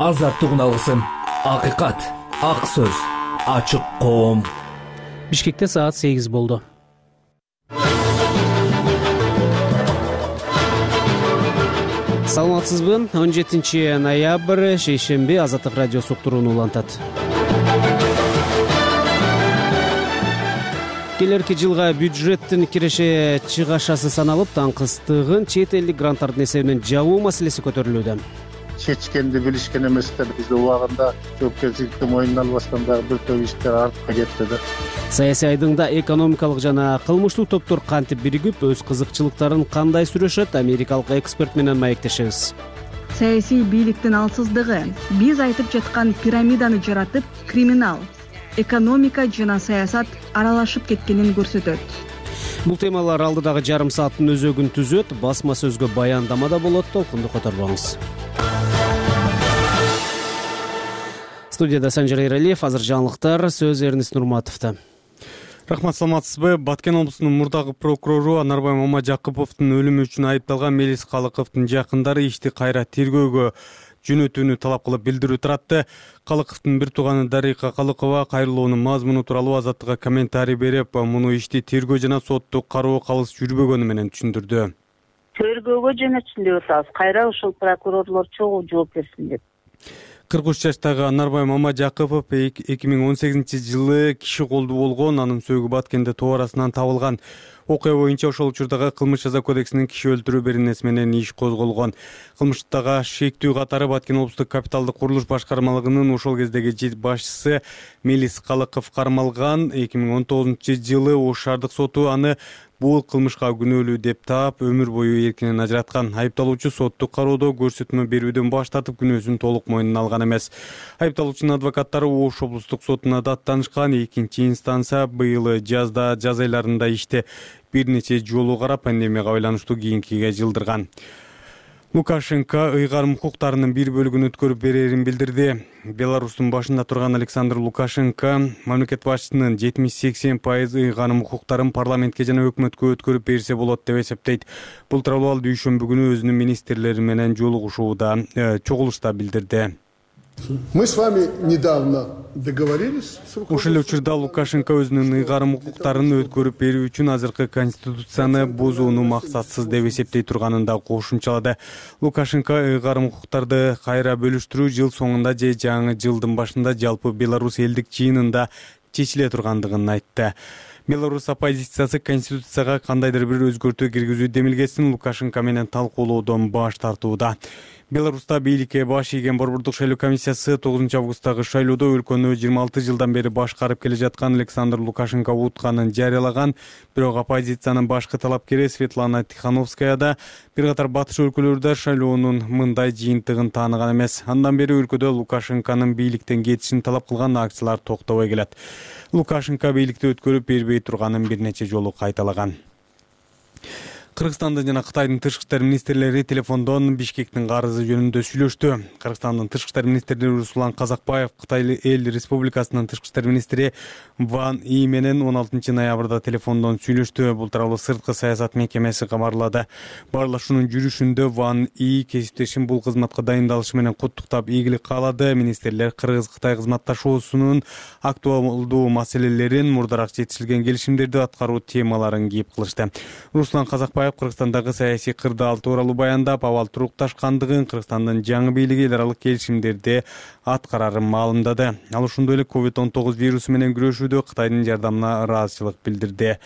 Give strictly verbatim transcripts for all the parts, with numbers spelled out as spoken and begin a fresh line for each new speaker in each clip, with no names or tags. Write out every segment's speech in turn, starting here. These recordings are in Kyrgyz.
азаттыгын алгысым. Акыйкат, ак сөз, ачык коом.
Бишкекте саат сегиз болду. Саламатсызбы? он жетинчи ноябрь шейшемби Азаттык радиосу уктурууну улантат. Келерки жылга бюджеттин киреше чыгашасы саналып, таңкыстыгын чет элдик гранттардын эсебинен жабуу маселеси көтөрүлүүдө.
Чечкенди билишкен эместер биз убагында жоопкерчиликти мойнуна албастан дагы бир топ иштер артка кетти да.
Саясий айдыңда экономикалык жана кылмыштуу топтор кантип биригип, өз кызыкчылыктарын кандай сүрөшөт, америкалык эксперт менен маектешебиз.
Саясий бийликтин алсыздыгы, биз айтып жаткан пирамиданы жаратып, криминал, экономика жана саясат аралашып кеткенин көрсөтөт.
Бул темалар алдыдагы жарым сааттын өзөгүн түзөт, басма сөзгө баяндама да болот, толкунду которбоңуз. Студияда Санжар Эралиев, азыр жаңылыктар, сөз Эрнис Нурматовдо.
Рахмат, саламатсызбы? Баткен облусунун мурдагы прокурору Анарбай Мамажакыповдун өлүмү үчүн айыпталган Мелис Калыковдун жакындары ишти кайра тергөөгө жөнөтүүнү талап кылып билдирүү таратты. Калыковдун бир тууганы Дарыйка Калыкова кайрылуунун мазмуну тууралуу Азаттыкка комментарий берип, муну ишти тергөө жана соттук кароо калыс жүрбөгөнү менен түшүндүрдү.
Тергөөгө жөнөтсүн деп атабыз. Кайра ушул прокурорлор чогуу жооп берсин деп.
кырк үч жаштагы Анарбай Мамажакыпов эки миң он сегизинчи жылы киши колдуу болгон, анын сөөгү Баткенде тоо арасынан табылган. Окуя боюнча ошол учурдагы кылмыш жаза кодексинин киши өлтүрүү беренеси менен иш козголгон. Кылмыштагы шектүү катары Баткен облустук капиталдык курулуш башкармалыгынын ошол кездеги башчысы Мелис Калыков кармалган. эки миң он тогузунчу жылы Ош шаардык соту аны бул кылмышка күнөөлүү деп таап, өмүр бою эркинен ажыраткан. Айыпталуучу соттук кароодо көрсөтмө берүүдөн баш тартып, күнөөсүн толук мойнуна алган эмес. Айыпталуучунун адвокаттары Ош облустук сотуна даттанышкан. Экинчи инстанция быйыл жазда, жаз айларында ишти бир нече жолу карап, пандемияга байланыштуу кийинкиге жылдырган. Лукашенко ыйгарым укуктарынын бир бөлүгүн өткөрүп берерин билдирди. Беларустун башында турган Александр Лукашенко мамлекет башчысынын жетимиш сексен пайыз ыйгарым укуктарын парламентке жана өкмөткө өткөрүп берсе болот деп эсептейт. Бул тууралуу ал дүйшөмбү күнү өзүнүн министрлери менен жолугушууда, чогулушта билдирди.
Мы с вами недавно договорились.
Ошол эле учурда Лукашенко өзүнүн ыйгарым укуктарын өткөрүп берүү үчүн азыркы конституцияны бузууну максатсыз деп эсептей турганын да кошумчалады. Лукашенко ыйгарым укуктарды кайра бөлүштүрүү жыл соңунда же жаңы жылдын башында жалпы Беларусь элдик жыйынында чечиле тургандыгын айтты. Беларусь оппозициясы конституцияга кандайдыр бир өзгөртүү киргизүү демилгесин Лукашенко менен талкуулоодон баш тартууда. Беларуста бийликке баш ийген Борбордук шайлоо комиссиясы тогузунчу августтагы шайлоодо өлкөнү жыйырма алты жылдан бери башкарып келе жаткан Александр Лукашенко утканын жарыялаган. Бирок оппозициянын башкы талапкери Светлана Тихановская да бир катар батыш өлкөлөрдө шайлоонун мындай жыйынтыгын тааныган эмес. Андан бери өлкөдө Лукашенконун бийликтен кетишин талап кылган акциялар токтобой келет. Лукашенко бийликти өткөрүп бербей турганын бир нече жолу кайталаган. Кыргызстандын жана Кытайдын тышкы иштер министрлери телефондон Бишкектин карызы жөнүндө сүйлөштү. Кыргызстандын тышкы иштер министри Руслан Казакбаев Кытай эл республикасынын тышкы иштер министри Ван И менен он алтынчы ноябрда телефондон сүйлөштү. Бул тууралуу сырткы саясат мекемеси кабарлады. Баарлашуунун жүрүшүндө Ван И кесиптешин бул кызматка дайындалышы менен куттуктап ийгилик каалады. Министрлер Кыргыз-Кытай кызматташуусунун актуалдуу маселелерин, мурдараак жетишилген келишимдерди аткаруу темаларын кийип кылышты. Руслан Казакбаев Кыргызстандагы саясий кырдаал тууралуу баяндап, абал турукташкандыгын, Кыргызстандын жаңы бийлиги эл аралык келишимдерди аткарарын маалымдады. Ал ошондой эле ковид он тогуз вирусу менен күрөшүүдө Кытайдын жардамына ыраазычылык билдирди.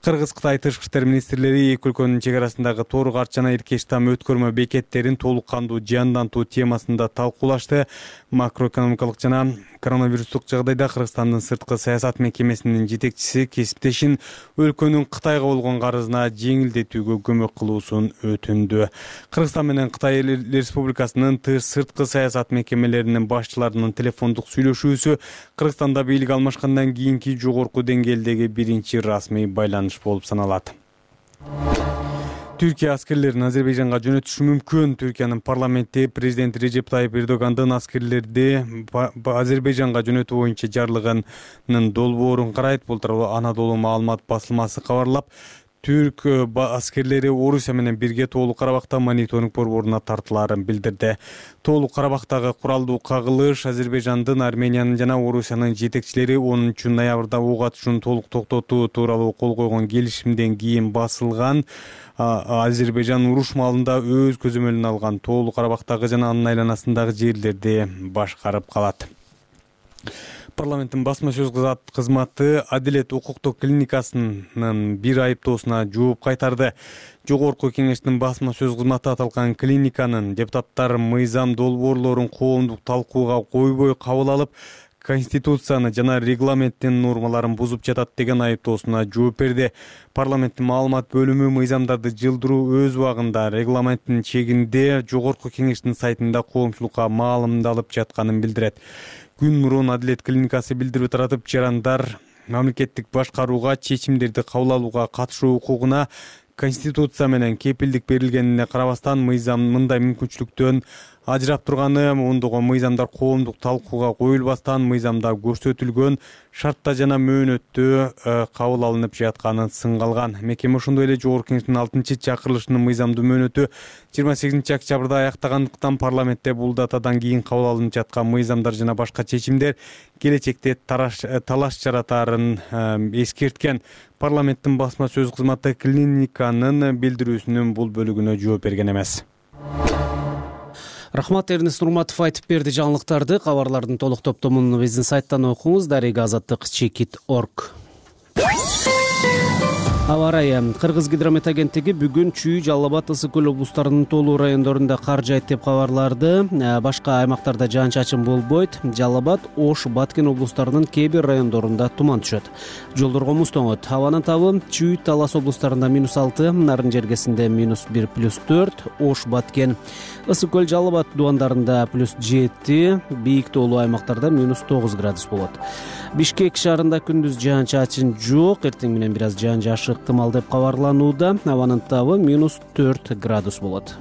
Кыргыз-Кытай тышкы иштер министрлери эки өлкөнүн чек арасындагы Тоор Карч жана Эркеш там өткөрмө бекеттерин толук кандуу жандантуу темасында талкуулашты. Макроэкономикалык жана коронавирустук жагдайда Кыргызстандын сырткы саясат мекемесинин жетекчиси кесиптешин өлкөнүн Кытайга болгон карызына жеңилдетүүгө көмөк кылуусун өтүндү. Кыргызстан менен Кытай Республикасынын сырткы саясат мекемелеринин башчыларынын телефондук сүйлөшүүсү Кыргызстанда бийлик алмашкандан кийинки жогорку деңгээлдеги биринчи расмий байланыш болуп саналат. Түркия аскерлерин Азербайжанга жөнөтүшү мүмкүн. Түркиянын парламенти президент Режеп Тайып Эрдогандын аскерлерди Азербайжанга жөнөтүү боюнча жарлыгынын долбоорун карайт. Бул тууралуу Анадолу маалымат басылмасы кабарлап, түрк аскерлери Орусия менен бирге Тоолук Карабакта мониторинг борборуна тартылаарын билдирди. Тоолук Карабактагы куралдуу кагылыш Азербайжандын, Армениянын жана Орусиянын жетекчилери онунчу ноябрда ок атышууну толук токтотуу тууралуу кол койгон келишимден кийин басылган. Азербайжан уруш маалында өз көзөмөлүнө алган Тоолук Карабактагы жана анын айланасындагы жерлерди башкарып калат. Парламенттин басма сөз кызматы Адилет укуктук клиникасынын бир айыптоосуна жооп кайтарды. Жогорку кеңештин басма сөз кызматы аталган клиниканын депутаттар мыйзам долбоорлорун коомдук талкууга койбой кабыл алып, Конституцияны жана регламенттин нормаларын бузуп жатат деген айыптоосуна жооп берди. Парламенттин маалымат бөлүмү мыйзамдарды жылдыруу өз убагында регламенттин чегинде Жогорку кеңештин сайтында коомчулукка маалымдалып жатканын билдирет. Күн мурун Адилет клиникасы билдирип таратып, жарандар мамлекеттик башкарууга, чечимдерди кабыл алууга катышуу укугуна Конституция менен кепилдик берилгенине карабастан мыйзам мындай мүмкүнчүлүктөн ажырап турганы, ондогон мыйзамдар коомдук талкууга коюлбастан мыйзамда көрсөтүлгөн шартта жана мөөнөттө кабыл алынып жатканын сынгалган. Мекеме ошондой эле Жогорку кеңештин алтынчы чакырылышынын мыйзамдуу мөөнөтү жыйырма сегизинчи октябрда аяктагандыктан парламентте бул датадан кийин кабыл алынып жаткан мыйзамдар жана башка чечимдер келечекте талаш жаратаарын эскерткен. Парламенттин басма сөз кызматы клиниканын билдирүүсүнүн бул бөлүгүнө жооп берген эмес.
Рахмат, Эрнест Нурматов айтып берди жаңылыктарды. Кабарлардын толук топтомун биздин сайттан окуңуз, дарега азаттык чекит точка орг. Аба ырайы. Кыргыз гидромет агенттиги бүгүн Чүй, Жалал Абад, Ысык көл облустарынын толуу райондорунда кар жаайт деп кабарларды. Башка аймактарда жаан-чачын болбойт. Жалал Абад, Ош, Баткен облустарынын кээ бир райондорунда туман түшөт. Жолдорго муз тоңот. Абанын табы Чүй, Талас облустарында минус алты, Нарын жергесинде минус бир плюс төрт, Ош, Баткен, Ысык көл, Жалал Абад дубандарында плюс жети, бийик тоолуу аймактарда минус тогуз градус болот. Бишкек шаарында күндүз жаан-чачын жок, эртең менен бир аз жаан жаашы ыктымал деп кабарланууда. Абанын табы минус төрт градус болот.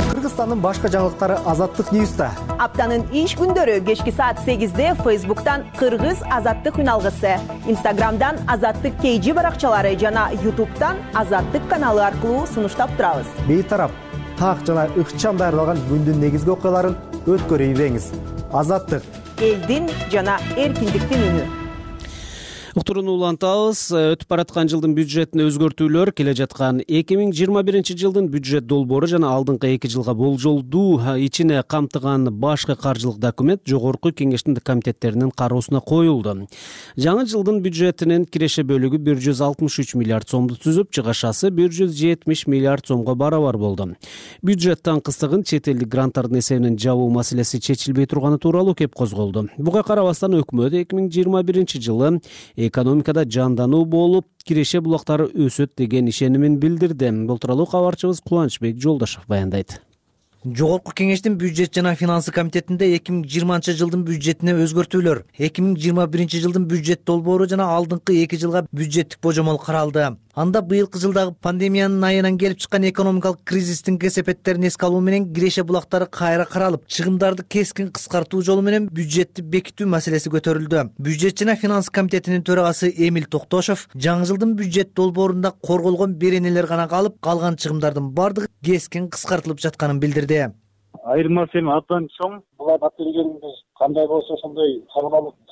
Кыргызстандын башка жаңылыктары Азаттык Ньюста.
Аптанын иш күндөрү кечки саат сегизде Фейсбуктан Кыргыз Азаттык үналгысы, Инстаграмдан Азаттык кей жи баракчалары жана Ютубтан Азаттык каналы аркылуу сунуштап турабыз.
Бейтарап, так жана ыкчам даярдалган күндүн негизги окуяларын өткөрүй бериңиз. Азаттык,
элдин жана эркиндиктин үнү.
Уктурууну улантабыз. Өтүп бараткан жылдын бюджетине өзгөртүүлөр, келе жаткан эки миң жыйырма биринчи жылдын бюджет долбоору жана алдыңкы эки жылга болжолдуу ичине камтыган башкы каржылык документ Жогорку кеңештин комитеттеринин кароосуна коюлду. Жаңы жылдын бюджетинин киреше бөлүгү бир жүз алтымыш үч миллиард сомду түзүп, чыгашасы бир жүз жетимиш миллиард сомго барабар болду. Бюджет таңкыстыгын чет элдик гранттардын эсебинен жабуу маселеси чечилбей турганы тууралуу кеп козголду. Буга карабастан өкмөт эки миң жыйырма биринчи жылы экономикада жандануу болуп, киреше булактары өсөт деген ишенимин билдирди. Бул тууралуу кабарчыбыз Кубанычбек Жолдошов баяндайт.
Жогорку кеңештин бюджет жана финансы комитетинде эки миң жыйырманчы жылдын бюджетине өзгөртүүлөр, эки миң жыйырма биринчи жылдын бюджет долбоору жана алдыңкы эки жылга бюджеттик божомол каралды. Анда быйылкы жылдагы пандемиянын айынан келип чыккан экономикалык кризистин кесепеттерин эске алуу менен киреше булактары кайра каралып, чыгымдарды кескин кыскартуу жолу менен бюджетти бекитүү маселеси көтөрүлдү. Бюджет жана финансы комитетинин төрагасы Эмиль Токтошов жаңы жылдын бюджет долбоорунда корголгон беренелер гана калып, калган чыгымдардын бардыгы кескин кыскартылып жатканын билдирди.
Айырмасы эми абдан чоң. Буга батиргенибиз кандай болсо ошондой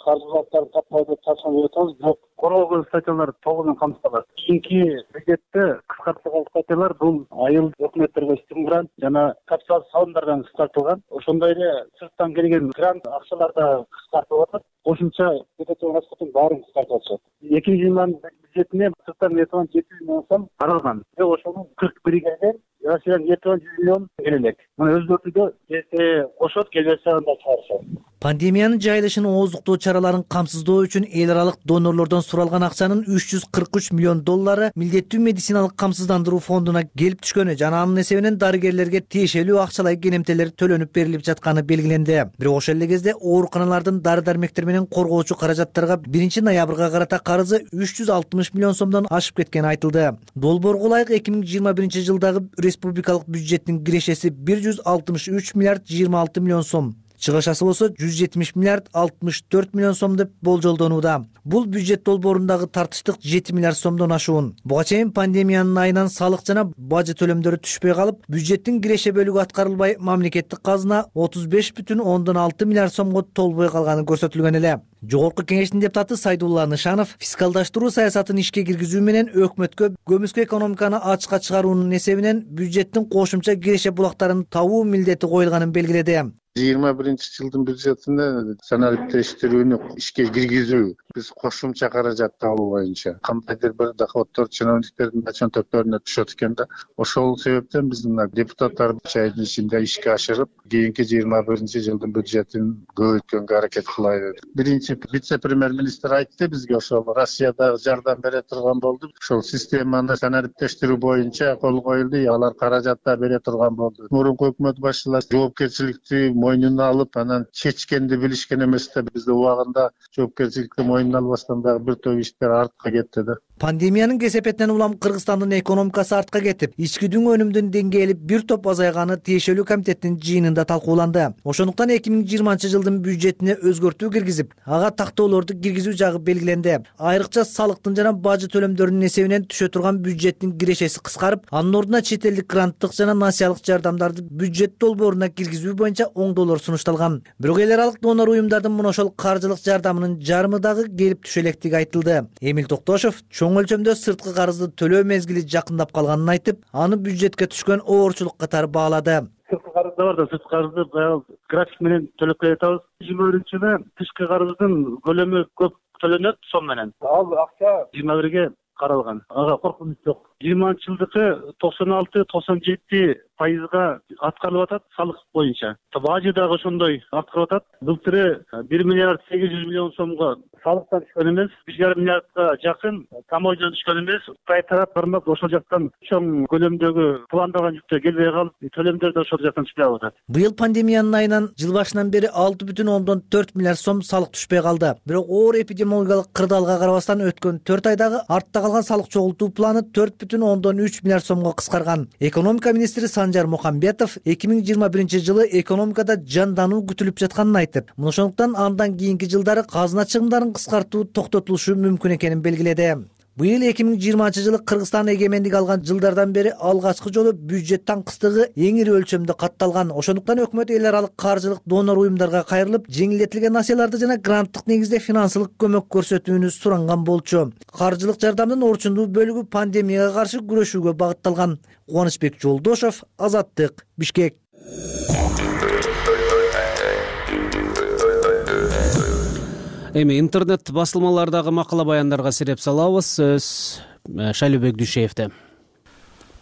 каржылыктарды таппай деп ташкан атабыз, бирок корголгон статьялар толугу камтылат. Кийинки бюджетте кыскартылган статьялар бул айыл өкмөттөргө стимулант жана капитал салымдардан кыскартылган. Ошондой эле сырттан келген грант акчалар да кыскартылып атат. Кошумча бюджеттин расходун баарын кыскартып атышат. эки миң жыйырма бюджетине сырттан жети жүз миңдон сом каралган. Бирок ошонун кырк бири келген. Россиядан жети жүз миллион келе элек. Мына өзгөртүүдө келсе кошот, келбесе анда чыгарышат.
Пандемиянын жайылышын ооздуктоо чараларын камсыздоо үчүн эл аралык донорлордон суралган акчанын үч жүз кырк үч миллион доллары милдеттүү медициналык камсыздандыруу фондуна келип түшкөнү жана анын эсебинен дарыгерлерге тиешелүү акчалай кенемтелер төлөнүп берилип жатканы белгиленди. Бирок ошол эле кезде ооруканалардын дары-дармектер менен коргоочу каражаттарга биринчи ноябрга карата карызы үч жүз алтымыш миллион сомдон ашып кеткени айтылды. Долбоорго ылайык эки миң жыйырма биринчи жылдагы республикалык бюджеттин кирешеси бир жүз алтымыш үч миллиард жыйырма алты миллион сом. чыгышасы болсо жүз жетимиш миллиард алтымыш төрт миллион сом деп болжолдонууда. Бул бюджет долбоорундагы тартыштык жети миллиард сомдон ашуун. Буга чейин пандемиянын айынан салык жана бажы төлөмдөрү түшпөй калып, бюджеттин киреше бөлүгү аткарылбай, мамлекеттик казына отуз беш бүтүн ондон алты миллиард сомго толбой калганы көрсөтүлгөн эле. Жогорку кеңештин депутаты Сайдулла Нышанов фискалдаштыруу саясатын ишке киргизүү менен өкмөткө көмүскө экономиканы ачыкка чыгаруунун эсебинен бюджеттин кошумча киреше булактарын табуу милдети коюлганын белгиледи.
жыйырма биринчи жылдын бюджетинде санариптештирүүнү ишке киргизүү, биз кошумча каражат табуу боюнча кандайдыр бир доходдор чиновниктердин чөнтөктөрүнө түшөт экен да. Ошол себептен биздин депутаттар айдын ичинде ишке ашырып, кийинки жыйырма биринчи жылдын бюджетин көбөйткөнгө аракет кылайлы деп. Биринчи вице-премьер-министр айтты бизге, ошол Россияда жардам бере турган болду. Ошол системаны санариптештирүү боюнча кол коюлду, алар каражат да бере турган болду. Мурунку өкмөт башчылары жоопкерчиликти мойнуна алып, анан чечкенди билишкен эмес да. Бизде убагында жоопкерчиликти мойнуна албастан дагы бир топ иштер артка кетти да.
Пандемиянын кесепетинен улам Кыргызстандын экономикасы артка кетип, ички дүң өнүмдүн деңгээли бир топ азайганы тиешелүү комитеттин жыйынында талкууланды. Ошондуктан эки миң жыйырманчы жылдын бюджетине өзгөртүү киргизип, ага тактоолорду киргизүү жагы белгиленди. Айрыкча салыктын жана бажы төлөмдөрүнүн эсебинен түшө турган бюджеттин кирешеси кыскарып, анын ордуна чет элдик гранттык жана насыялык жардамдарды бюджет долбооруна киргизүү боюнча оңдоолор сунушталган. Бирок эл аралык донор уюмдардын мына ошол каржылык жардамынын жарымы дагы келип түшө электиги айтылды. Эмил Токтошов чоң өлчөмдө сырткы карызды төлөө мезгили жакындап калганын айтып, аны бюджетке түшкөн оорчулук катары баалады.
Сырткы карыз да бар да, сырткы карызды баягы график менен төлөп келатабыз. жыйырма биринчи жылы тышкы карыздын көлөмү көп төлөнөт сом менен. Ал акча жыйырма бирге каралган. Ага коркунуч жок. жыйырманчы жылдыкы токсон алты токсон жети пайызга аткарылып атат салык боюнча. Бажы дагы ошондой аткарылып атат. Былтыры бир миллиард сегиз жүз миллион сомго салыктан түшкөн эмес, бир жарым миллиардга жакын тамойдон түшкөн эмес. Кытай тарап бармак ошол жактан чоң көлөмдөгү пландаган жүктөр келбей калып, төлөмдөр да ошол жактан түшпөй атат.
Быйыл пандемиянын айынан жыл башынан бери алты бүтүн ондон төрт миллиард сом салык түшпөй калды. Бирок оор эпидемиологиялык кырдаалга карабастан өткөн төрт айдагы артта калган салык чогултуу планы төрт бүтүн ондон үч миллиард сомго кыскарган. Экономика министри Санжар Мухамбетов эки миң жыйырма биринчи жылы экономикада жандануу күтүлүп жатканын айтып, ошондуктан андан кийинки жылдары казына чыгымдарын кыскартуу токтотулушу мүмкүн экенин белгиледи. Быйыл эки миң жыйырманчы жылы Кыргызстан эгемендик алган жылдардан бери алгачкы жолу бюджет таңкыстыгы эң ири өлчөмдө катталган. Ошондуктан өкмөт эл аралык каржылык донор уюмдарга кайрылып, жеңилдетилген насыяларды жана гранттык негизде финансылык көмөк көрсөтүүнү суранган болчу. Каржылык жардамдын орчундуу бөлүгү пандемияга каршы күрөшүүгө багытталган. Кубанычбек Жолдошов, Азаттык, Бишкек.
Эми интернет басылмалардагы макала баяндарга сиреп салабыз. Сөз Шайлообек Дүйшеевде.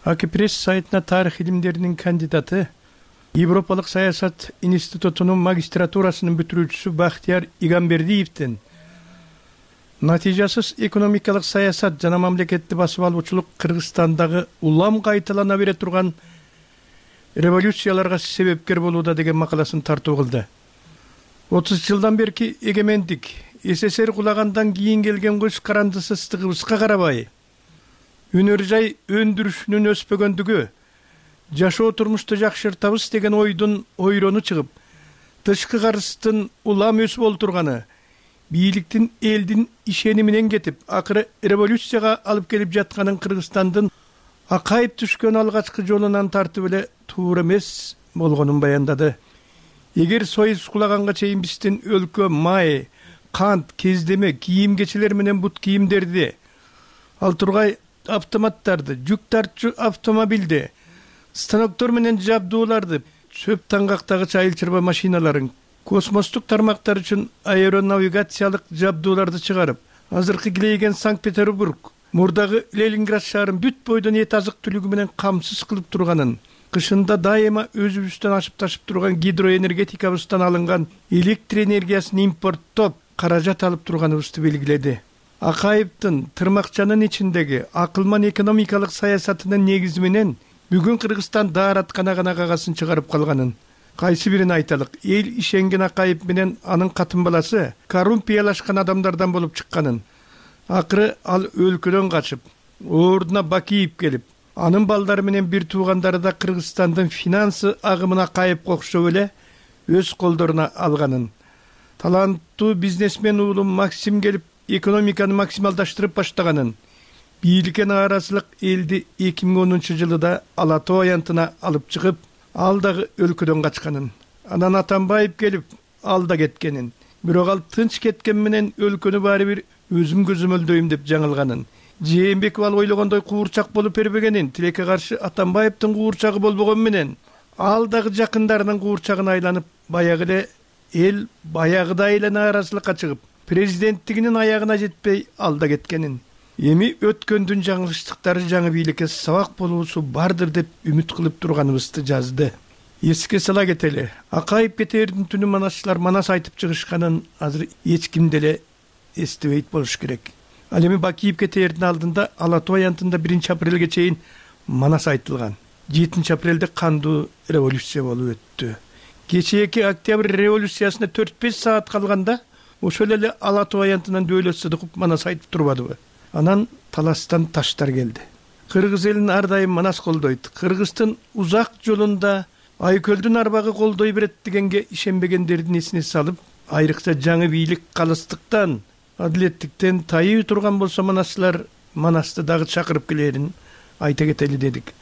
Аки пресс сайтына тарых илимдеринин кандидаты, Европалык саясат институтунун магистратурасынын бүтүрүүчүсү Бактияр Игамбердиевдин натыйжасыз экономикалык саясат жана мамлекеттик басып алуучулук Кыргызстандагы улам кайталана бере турган революцияларга себепкер болууда деген макаласын тартуу кылды. отуз жылдан берки эгемендик СССР кулагандан кийин келген көз карандысыздыгыбызга карабай, өнөр жай өндүрүшүнүн өспөгөндүгү, жашоо турмушту жакшыртабыз деген ойдун ойрону чыгып, тышкы карыздын улам өсүп олтурганы, бийликтин элдин ишени менен кетип, акыры революцияга алып келип жатканын Кыргызстандын акайып түшкөн алгачкы жолунан тартып эле туура эмес болгонун баяндады. Эгер союз кулаганга чейин биздин өлкө май, кант, кездеме, кийим кечелер менен бут кийимдерди, ал тургай автоматтарды, жүк тартчу автомобилди, станоктор менен жабдууларды, чөп таңгактагыч айыл чарба машиналарын, космостук тармактар үчүн аэронавигациялык жабдууларды чыгарып, азыркы килейген Санкт-Петербург, мурдагы Ленинград шаарын бүт бойдон эт азык түлүгү менен камсыз кылып турганын, кышында дайыма өзүбүздөн ашып ташып турган гидроэнергетикабыздан алынган электр энергиясын импорттоп, каражат алып турганыбызды белгиледи. Акаевдин тырмакчанын ичиндеги акылман экономикалык саясатынын негизи менен бүгүн Кыргызстан даараткана гана кагасын чыгарып калганын, кайсы бирин айталык, эл ишенген Акаев менен анын катын баласы коррупциялашкан адамдардан болуп чыкканын, акыры ал өлкөдөн качып, ордуна Бакиев келип, анын балдары менен бир туугандары да Кыргызстандын финансы агымына кайып кокшоп эле өз колдоруна алганын, таланттуу бизнесмен уулу Максим келип экономиканы максималдаштырып баштаганын, бийликке нааразылык элди эки миң онунчу жылыда Ала Тоо аянтына алып чыгып, ал дагы өлкөдөн качканын, анан Атамбаев келип ал да кеткенин, бирок ал тынч кеткен менен өлкөнү баары бир өзүм көзөмөлдөйм деп жаңылганын, Жээнбеков ал ойлогондой куурчак болуп бербегенин, тилекке каршы Атамбаевдин куурчагы болбогон менен ал дагы жакындарынын куурчагына айланып, баягы эле эл баягыдай эле нааразылыкка чыгып, президенттигинин аягына жетпей ал да кеткенин, эми өткөндүн жаңылыштыктары жаңы бийликке сабак болуусу бардыр деп үмүт кылып турганыбызды жазды. Эске сала кетели, Акаев кетээрдин түнү манасчылар манас айтып чыгышканын азыр эч ким деле эстебейт болуш керек. Ал эми Бакиев кетээрдин алдында Ала Тоо аянтында биринчи апрелге чейин манас айтылган. жетинчи апрелде кандуу революция болуп өттү. Кечээки октябрь революциясына төрт беш саат калганда ошол эле Ала Тоо аянтынан Дөөлөт Сыдыков манас айтып турбадыбы? Анан таластан таштар келди. Кыргыз элин ар дайым манас колдойт. Кыргыздын узак жолунда Айкөлдүн арбагы колдой берет дегенге ишенбегендердин эсине салып, айрыкча жаңы бийлик калыстыктан, адилеттиктен тайып турган болсо манасчылар манасты дагы чакырып келерин айта кетели дедик.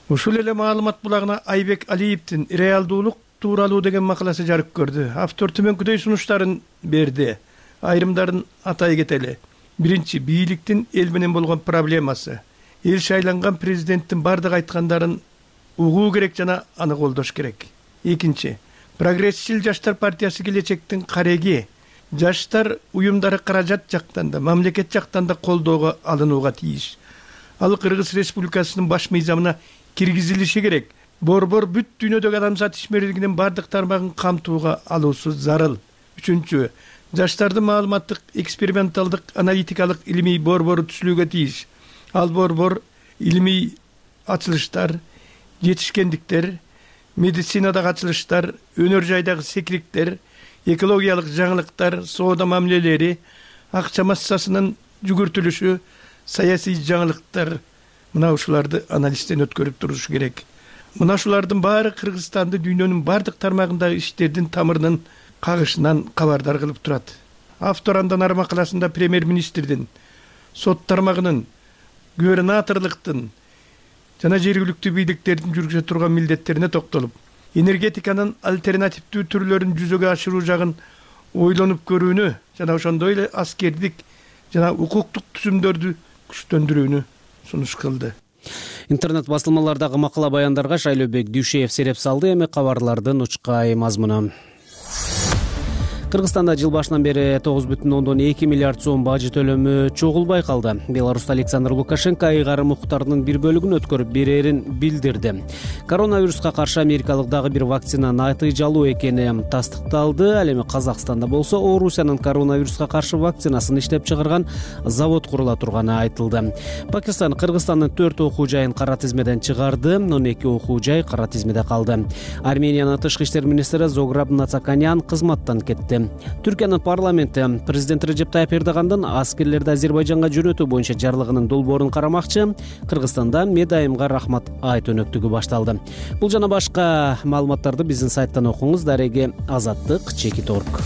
Ушул эле маалымат булагына Айбек Алиевдин реалдуулук тууралуу деген макаласы жарык көрдү. Автор төмөнкүдөй сунуштарын берди. Айрымдарын атай кетели. Биринчи, бийликтин эл менен болгон проблемасы. Эл шайланган президенттин бардык айткандарын угуу керек жана аны колдош керек. Экинчи, прогрессчил жаштар партиясы келечектин кареги. Жаштар уюмдары каражат жактан да, мамлекет жактан да колдоого алынууга тийиш. Ал Кыргыз Республикасынын баш мыйзамына киргизилиши керек. Борбор бүт дүйнөдөгү адамзат ишмердигинин бардык тармагын камтууга алуусу зарыл. Үчүнчү, жаштардын маалыматтык, эксперименталдык, аналитикалык илимий борбору түзүлүүгө тийиш. Ал борбор илимий ачылыштар, жетишкендиктер, медицинадагы ачылыштар, өнөр жайдагы секириктер, экологиялык жаңылыктар, соода мамилелери, акча массасынын жүгүртүлүшү, саясий жаңылыктар, мына ушуларды анализден өткөрүп туруш керек. Мына ушулардын баары Кыргызстанды дүйнөнүн бардык тармагындагы иштердин тамырынын кагышынан кабардар кылып турат. Автор андан ары макаласында премьер-министрдин, сот тармагынын, губернаторлуктун жана жергиликтүү бийликтердин жүргүзө турган милдеттерине токтолуп, энергетиканын альтернативдүү түрлөрүн жүзөгө ашыруу жагын ойлонуп көрүүнү жана ошондой эле аскердик жана укуктук түзүмдөрдү күчтөндүрүүнү сунуш кылды.
Интернет басылмалардагы макала баяндарга Шайлообек Дүйшеев сереп салды. Эми кабарлардын учкай мазмуну. Кыргызстанда жыл башынан бери тогуз бүтүн ондон эки миллиард сом бажы төлөмү чогулбай калды. Беларуста Александр Лукашенко айыгарым укуктарынын бир бөлүгүн өткөрүп берерин билдирди. Коронавируска каршы америкалык дагы бир вакцина натыйжалуу экени тастыкталды. Ал эми Казакстанда болсо Орусиянын коронавируска каршы вакцинасын иштеп чыгарган завод курула турганы айтылды. Пакистан Кыргызстандын төрт окуу жайын кара тизмеден чыгарды, он эки окуу жай кара тизмеде калды. Армениянын тышкы иштер министри Зограб Нацаканян кызматтан кетти. Түркиянын парламенти президент Режеп Тайып Эрдогандын аскерлерди Азербайжанга жөнөтүү боюнча жарлыгынын долбоорун карамакчы. Кыргызстанда Медайымга рахмат айт өнөктүгү башталды. Бул жана башка маалыматтарды биздин сайттан окуңуз. Дареги Азаттык чекит точка орг.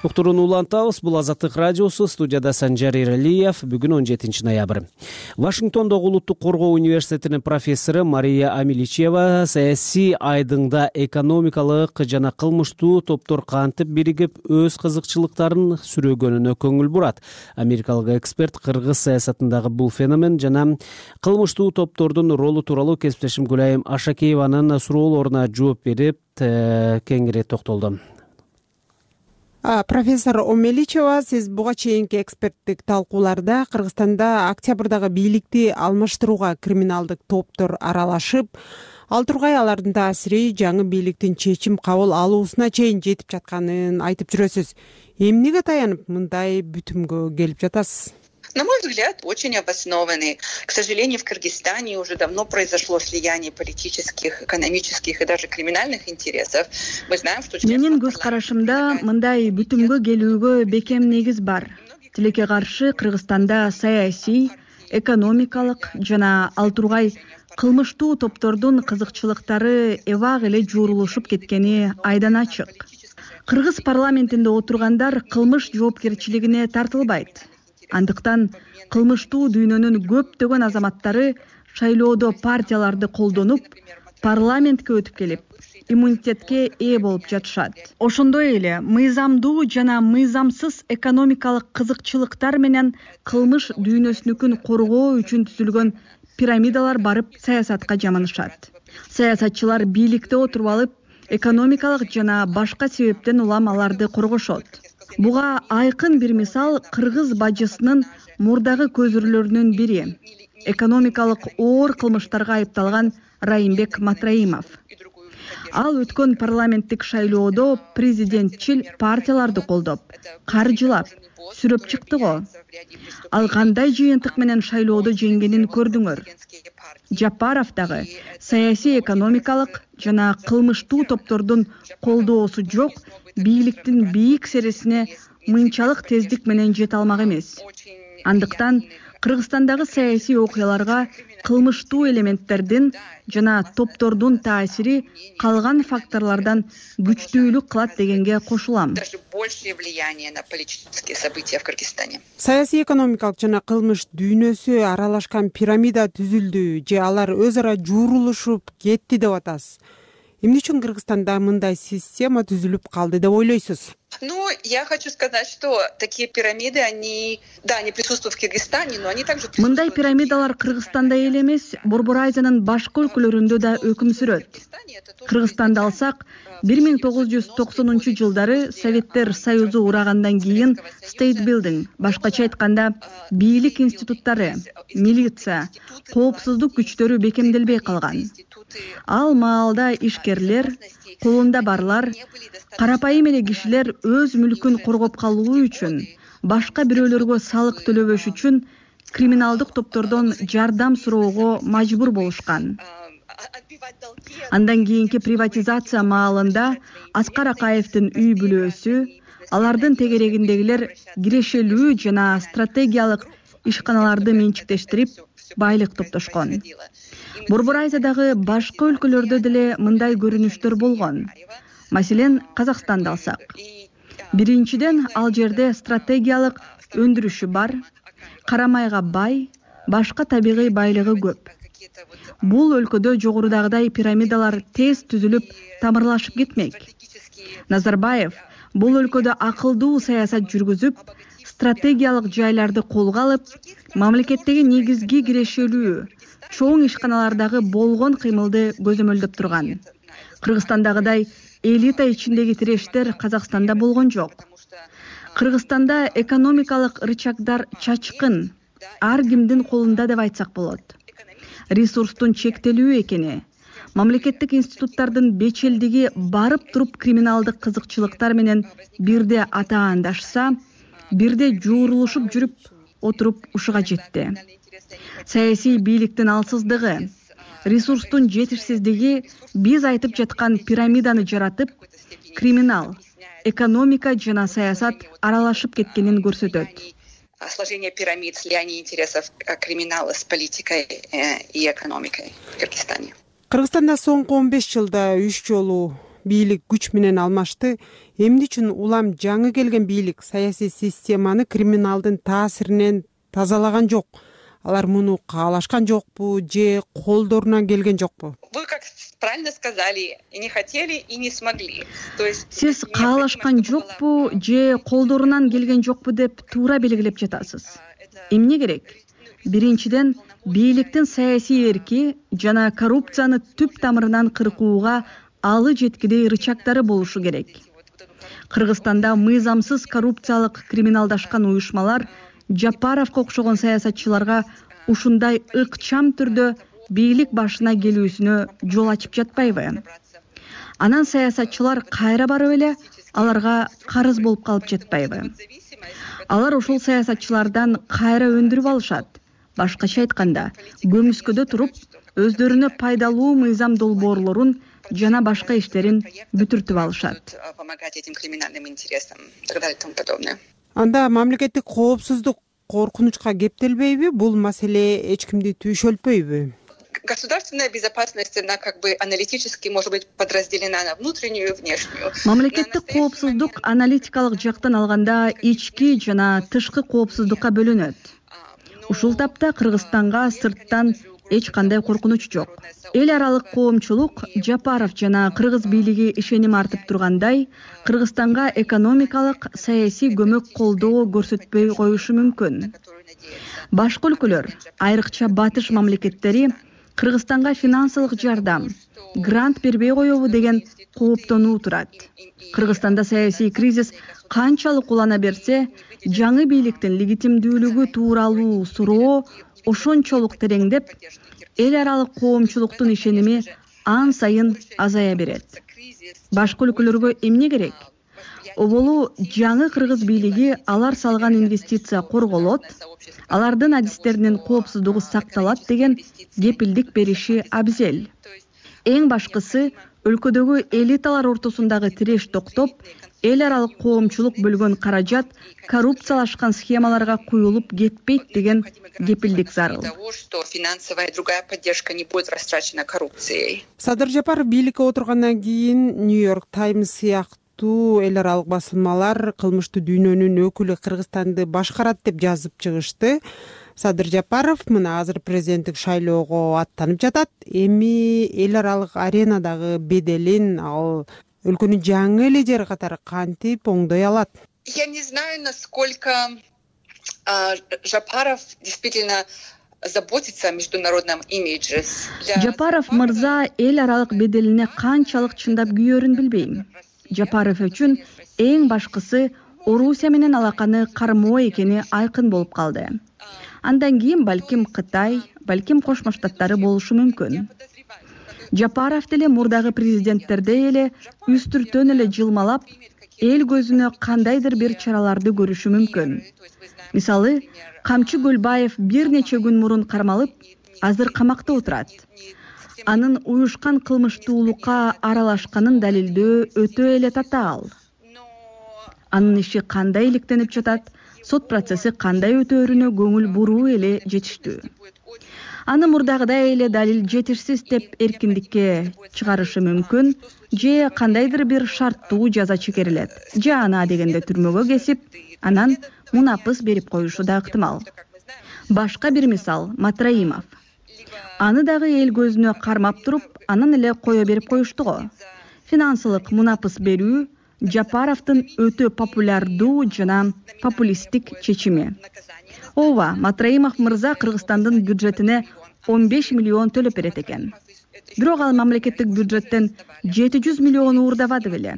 Уктурууну улантабыз. Бул Азаттык радиосу. Студияда Санжар Эралиев. Бүгүн он жетинчи ноябрь. Вашингтондогу Улуттук коргоо университетинин профессору Мария Амиличева саясий айдыңда экономикалык жана кылмыштуу топтор кантип биригип өз кызыкчылыктарын сүрөгөнүнө көңүл бурат. Америкалык эксперт кыргыз саясатындагы бул феномен жана кылмыштуу топтордун ролу тууралуу кесиптешим Гүлайым Ашакееванын суроолоруна жооп берип кеңири токтолду.
Профессор Омеличева, сиз буга чейинки эксперттик талкууларда Кыргызстанда октябрдагы бийликти алмаштырууга криминалдык топтор аралашып, ал тургай алардын таасири жаңы бийликтин чечим кабыл алуусуна чейин жетип жатканын айтып жүрөсүз. Эмнеге таянып мындай бүтүмгө келип жатасыз?
На мой взгляд, очень обоснованный. К сожалению, в Кыргызстане уже давно произошло слияние политических, экономических и даже криминальных интересов. Мы знаем, что...
Менин көз карашымда мындай бүтүмгө келүүгө бекем негиз бар. Тилекке каршы Кыргызстанда саясий, экономикалык жана ал тургай кылмыштуу топтордун кызыкчылыктары эбак эле жуурулушуп кеткени айдан ачык. Кыргыз парламентинде отургандар кылмыш жоопкерчилигине тартылбайт. Андыктан кылмыштуу дүйнөнүн көптөгөн азаматтары шайлоодо партияларды колдонуп, парламентке өтүп келип, иммунитетке ээ болуп жатышат. Ошондой эле мыйзамдуу жана мыйзамсыз экономикалык кызыкчылыктар менен кылмыш дүйнөсүнүкүн коргоо үчүн түзүлгөн пирамидалар барып саясатка жаманышат. Саясатчылар бийликте отуруп алып, экономикалык жана башка себептен улам аларды коргошот. Буга айкын бир мисал кыргыз бажысынын мурдагы көзүрлөрүнүн бири — экономикалык оор кылмыштарга айыпталган Райымбек Матраимов. Ал өткөн парламенттик шайлоодо президентчил партияларды колдоп, каржылап, сүрөп чыкты го. Ал кандай жыйынтык менен шайлоодо жеңгенин көрдүңөр. Жапаров дагы саясий, экономикалык жана кылмыштуу топтордун колдоосу жок бийликтин бийик сересине мынчалык тездик менен жете алмак эмес. Андыктан Кыргызстандагы саясий окуяларга кылмыштуу элементтердин жана топтордун таасири калган факторлордон күчтүүлүк кылат дегенге кошулам.
Саясий, экономикалык жана кылмыш дүйнөсү аралашкан пирамида түзүлдү же алар өз ара жуурулушуп кетти деп атасыз. Эмне үчүн Кыргызстанда мындай система түзүлүп калды деп ойлойсуз?
Ну, я хочу сказать, что такие пирамиды, они, да, они присутствуют в Кыргызстане, но они также присутствуют...
Мындай пирамидалар Кыргызстанда эле эмес, Борбор Азиянын башка өлкөлөрүндө да өкүм сүрөт. Кыргызстанды алсак, бир миң тогуз жүз токсонунчу жылдары Советтер Союзу урагандан кийин State Building, башкача айтканда, бийлик институттары, милиция, коопсуздук күчтөрү бекемделбей калган. Ал маалда ишкерлер, колунда барлар, карапайым эле кишилер өз мүлкүн коргоп калуу үчүн, башка бирөөлөргө салык төлөбөш үчүн криминалдык топтордон жардам суроого мажбур болушкан. Андан кийинки приватизация маалында Аскар Акаевдин үй бүлөөсү, алардын тегерегиндегилер кирешелүү жана стратегиялык ишканаларды менчиктештирип, байлык топтошкон. Борбор Азиядагы башка өлкөлөрдө деле мындай көрүнүштөр болгон. Маселен, Казакстанды алсак. Биринчиден, ал жерде стратегиялык өндүрүшү бар, карамайга бай, башка табигый байлыгы көп. Бул өлкөдө жогорудагыдай пирамидалар тез түзүлүп, тамырлашып кетмек. Назарбаев бул өлкөдө акылдуу саясат жүргүзүп, стратегиялык жайларды колго алып, мамлекеттеги негизги кирешелүү, чоң ишканалардагы болгон кыймылды көзөмөлдөп турган. Кыргызстандагыдай элита ичиндеги тирештер Казакстанда болгон жок. Кыргызстанда экономикалык рычагдар чачкын, ар кимдин колунда деп айтсак болот. Ресурстун чектелүү экени, мамлекеттик институттардын бечелдиги барып туруп криминалдык кызыкчылыктар менен бирде атаандашса, бирде жуурулушуп жүрүп отуруп ушуга жетти. Саясий бийликтин алсыздыгы, ресурстун жетишсиздиги биз айтып жаткан пирамиданы жаратып, криминал, экономика жана саясат аралашып кеткенин көрсөтөт.
Сложение пирамид, слияние интересов криминала с политикой и экономикой в Кыргызстане.
Кыргызстанда соңку он беш жылда үч жолу бийлик күч менен алмашты. Эмне үчүн улам жаңы келген бийлик саясий системаны криминалдын таасиринен тазалаган жок? Алар муну каалашкан жокпу же колдорунан келген жокпу?
Вы как правильно сказали, и не хотели, и не смогли. То есть
сиз каалашкан жокпу же колдорунан келген жокпу деп туура белгилеп жатасыз. Эмне керек? Биринчиден, бийликтин саясий эрки жана коррупцияны түп тамырынан кыркууга алы жеткидей рычагдары болушу керек. Кыргызстанда мыйзамсыз коррупциялык криминалдашкан уюшмалар Жапаровго окшогон саясатчыларга ушундай ыкчам түрдө бийлик башына келүүсүнө жол ачып жатпайбы? Анан саясатчылар кайра барып эле аларга карыз болуп калып жатпайбы? Алар ушул саясатчылардан кайра өндүрүп алышат. Башкача айтканда, көмүскөдө туруп, өздөрүнө пайдалуу мыйзам долбоорлорун жана башка иштерин бүтүртүп алышат.
Помогать этим криминальным интересам и так далее и тому подобное.
Анда мамлекеттик коопсуздук коркунучка кептелбейби? Бул маселе эч кимди түйшөлтпөйбү?
государственная безопасность, она как бы аналитически может быть подразделена на внутреннюю и внешнюю.
Мамлекеттик коопсуздук аналитикалык жактан алганда ички жана тышкы коопсуздукка бөлүнөт. Ушул тапта Кыргызстанга сырттан эч кандай коркунуч жок. Эл аралык коомчулук Жапаров жана кыргыз бийлиги ишеним артып тургандай, Кыргызстанга экономикалык, саясий көмөк колдоо көрсөтпөй коюшу мүмкүн. Башка өлкөлөр, айрыкча батыш мамлекеттери Кыргызстанга финансылык жардам, грант бербей коебу деген кооптонуу турат. Кыргызстанда саясий кризис канчалык улана берсе, жаңы бийликтин легитимдүүлүгү тууралуу суроо ошончолук тереңдеп, эл аралык коомчулуктун ишеними ан сайын азая берет. Башка өлкөлөргө эмне керек? Оболу жаңы кыргыз бийлиги алар салган инвестиция корголот, алардын адистеринин коопсуздугу сакталат деген кепилдик бериши абзел. Эң башкысы, өлкөдөгү элиталар ортосундагы тиреш токтоп, эл аралык коомчулук бөлгөн каражат коррупциялашкан схемаларга куюлуп кетпейт деген кепилдик зарыл.
Финансовая и другая поддержка не будет растрачена коррупцией.
Садыр Жапаров бийликке отургандан кийин Нью-Йорк Таймс сыяктуу эл аралык басылмалар кылмыштуу дүйнөнүн өкүлү Кыргызстанды башкарат деп жазып чыгышты. Садыр Жапаров мына азыр президенттик шайлоого аттанып жатат. Эми эл аралык аренадагы беделин ал өлкөнүн жаңы лидери катары кантип оңдой алат?
Я не знаю, насколько а, Жапаров действительно заботится о международном имидже.
Жапаров мырза эл аралык беделине канчалык чындап күйөрүн билбейм. Жапаров үчүн эң башкысы Орусия менен алаканы кармоо экени айкын болуп калды. Андан кийин балким Кытай, балким Кошмо Штаттары болушу мүмкүн. Жапаров деле мурдагы президенттердей эле үстүртөн эле жылмалап, эл көзүнө кандайдыр бир чараларды көрүшү мүмкүн. Мисалы, Камчы Көлбаев бир нече күн мурун кармалып, азыр камакта отурат. Анын уюшкан кылмыштуулукка аралашканын далилдөө өтө эле татаал. Анын иши кандай иликтенип жатат, сот процесси кандай өтөөрүнө көңүл буруу эле жетиштүү. Аны мурдагыдай эле далил жетишсиз деп эркиндикке чыгарышы мүмкүн, же кандайдыр бир шарттуу жаза чегерилет, же ана дегенде түрмөгө кесип, анан мунапыс берип коюшу да ыктымал. Башка бир мисал Матраимов. Аны дагы эл көзүнө кармап туруп, анан эле кое берип коюшту го. Финансылык мунапыс берүү Жапаровдун өтө популярдуу жана популисттик чечими. Ооба, Матраимов мырза Кыргызстандын бюджетине он беш миллион төлөп берет экен. Бирок ал мамлекеттик бюджеттен жети жүз миллион уурдабады беле.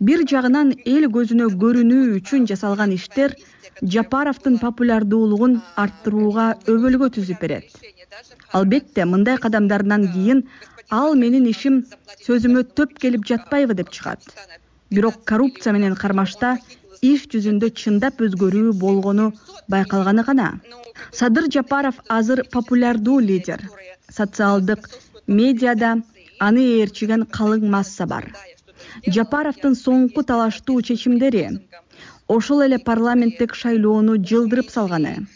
Бир жагынан эл көзүнө көрүнүү үчүн жасалган иштер Жапаровдун популярдуулугун арттырууга өбөлгө түзүп берет. Албетте, мындай кадамдардан кийин ал менин ишим сөзүмө төп келип жатпайбы деп чыгат. Бирок коррупция менен кармашта иш жүзүндө чындап өзгөрүү болгону байкалганы гана. Садыр Жапаров азыр популярдуу лидер. Социалдык медиада аны ээрчиген калың масса бар. Жапаровдун соңку талаштуу чечимдери ошол эле парламенттик шайлоону жылдырып салганы.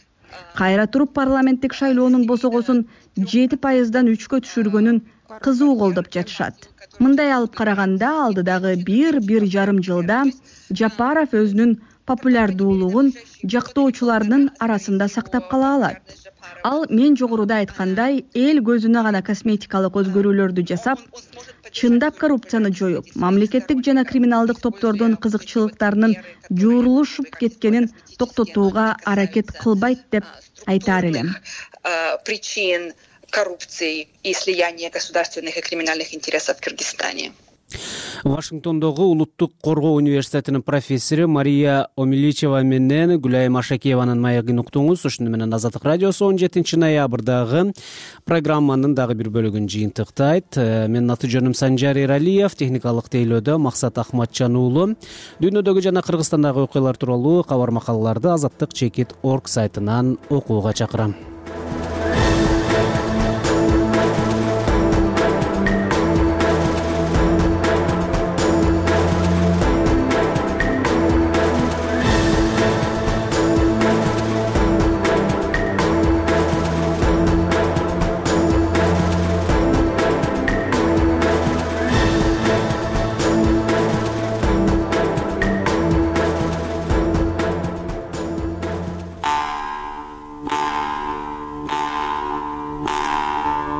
Кайра туруп парламенттик шайлоонун босогосун жети пайыздан үчкө түшүргөнүн кызуу колдоп жатышат. Мындай алып караганда алдыдагы бир бир жарым жылда Жапаров өзүнүн популярдуулугун жактоочулардын арасында сактап кала алат. Ал мен жогоруда айткандай эл көзүнө гана косметикалык өзгөрүүлөрдү жасап, чындап коррупцияны жоюп, мамлекеттик жана криминалдык топтордун кызыкчылыктарынын жуурулушуп кеткенин токтотууга аракет кылбайт деп айтаар элем.
Причин коррупции и слияния государственных и криминальных интересов в Кыргызстане.
Вашингтондогу Улуттук коргоо университетинин профессору Мария Омиличева менен Гүлайым Ашакиеванын маегин уктуңуз. Ушуну менен Азаттык радиосу он жетинчи ноябрдагы программанын дагы бир бөлүгүн жыйынтыктайт. Менин аты жөнүм Санжар Эралиев, техникалык тейлөөдө Максат Ахматжан уулу. Дүйнөдөгү жана Кыргызстандагы окуялар тууралуу кабар макалаларды азаттык чекит точка орг сайтынан окууга чакырам.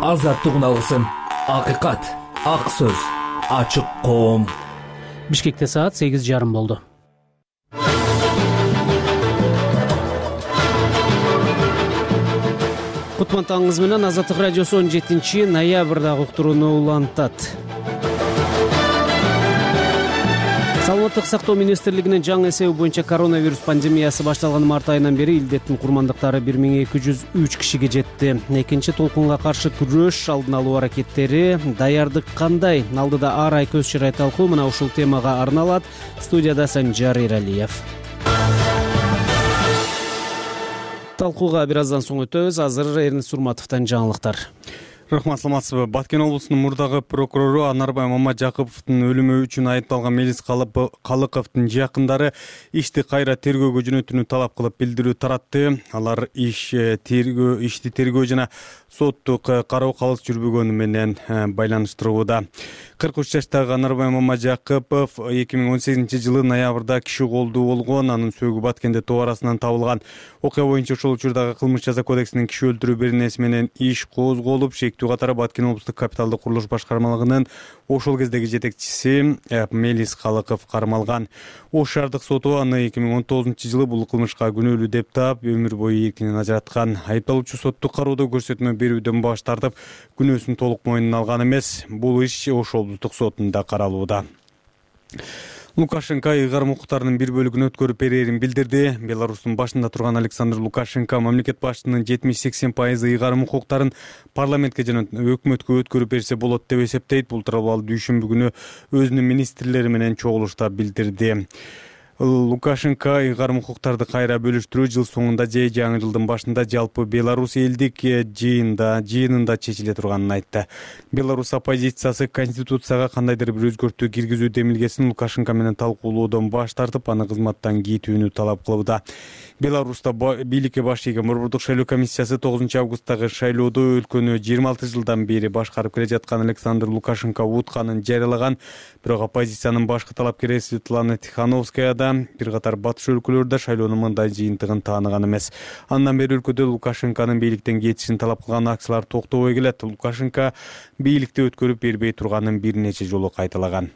азаттык үналгысын, акыйкат, ак сөз, ачык коом.
Бишкекте саат сегиз жарым болду. Кутман таңыңыз менен Азаттык радиосу он жетинчи ноябрдагы уктурууну улантат. Саламаттык сактоо министрлигинин жаңы эсеби боюнча коронавирус пандемиясы башталган март айынан бери илдеттин курмандыктары бир миң эки жүз үч кишиге жетти. Экинчи толкунга каршы күрөш алдын алуу аракеттери, даярдык кандай? Алдыда ар ай көз чырай талкуу мына ушул темага арналат. Студияда Санжар Иралиев. Талкууга бир аздан соң өтөбүз. Азыр Эрнис Сурматовдон жаңылыктар.
Рахмат, саламатсызбы. Баткен облусунун мурдагы прокурору Анарбай Мамажакыповдун өлүмү үчүн айыпталган Мелис Калыковдун жакындары ишти кайра тергөөгө жөнөтүүнү талап кылып билдирүү таратты. Алар иш тергөө ишти тергөө жана соттук кароо калыс жүрбөгөнү менен байланыштырууда. кырк үч жаштагы Анарбай Мамажакыпов эки миң он сегизинчи жылы ноябрда киши колдуу болгон. Анын сөөгү Баткенде тоо арасынан табылган. Окуя боюнча ошол учурдагы кылмыш жаза кодексинин киши өлтүрүү беренеси менен иш козголуп, шектүү катары Баткен облустук капиталдык курулуш башкармалыгынын ошол кездеги жетекчиси Мелис Калыков кармалган. Ош шаардык соту аны эки миң он тогузунчу жылы бул кылмышка күнөөлүү деп таап, өмүр бою эркинен ажыраткан. Айыпталуучу соттук кароодо көрсөтмө берүүдөн баш тартып, күнөөсүн толук мойнуна алган эмес. Бул иш Ош облустук сотунда каралууда. Лукашенко ыйгарым укуктарынын бир бөлүгүн өткөрүп берерин билдирди. Беларустун башында турган Александр Лукашенко мамлекет башчысынын жетимиш сексен пайызы ыйгарым укуктарын парламентке жана өкмөткө өткөрүп берсе болот деп эсептейт. Бул тууралуу ал дүйшөмбү күнү өзүнүн министрлери менен чогулушта билдирди. Лукашенко ыйгарым укуктарды кайра бөлүштүрүү жыл соңунда же жаңы жылдын башында жалпы Беларусь элдик жыйында жыйынында чечиле турганын айтты. Беларусь оппозициясы конституцияга кандайдыр бир өзгөртүү киргизүү демилгесин Лукашенко менен талкуулоодон баш тартып, аны кызматтан кетүүнү талап кылууда. Беларуста бийликке баш ийген Борбордук шайлоо комиссиясы тогузунчу августтагы шайлоодо өлкөнү жыйырма алты жылдан бери башкарып келе жаткан Александр Лукашенко утканын жарыялаган. Бирок оппозициянын башкы талапкери Светлана Тихановская да бир катар батыш өлкөлөрдө шайлоонун мындай жыйынтыгын тааныган эмес. Андан бери өлкөдө Лукашенконун бийликтен кетишин талап кылган акциялар токтобой келет. Лукашенко бийликти өткөрүп бербей турганын бир нече жолу кайталаган.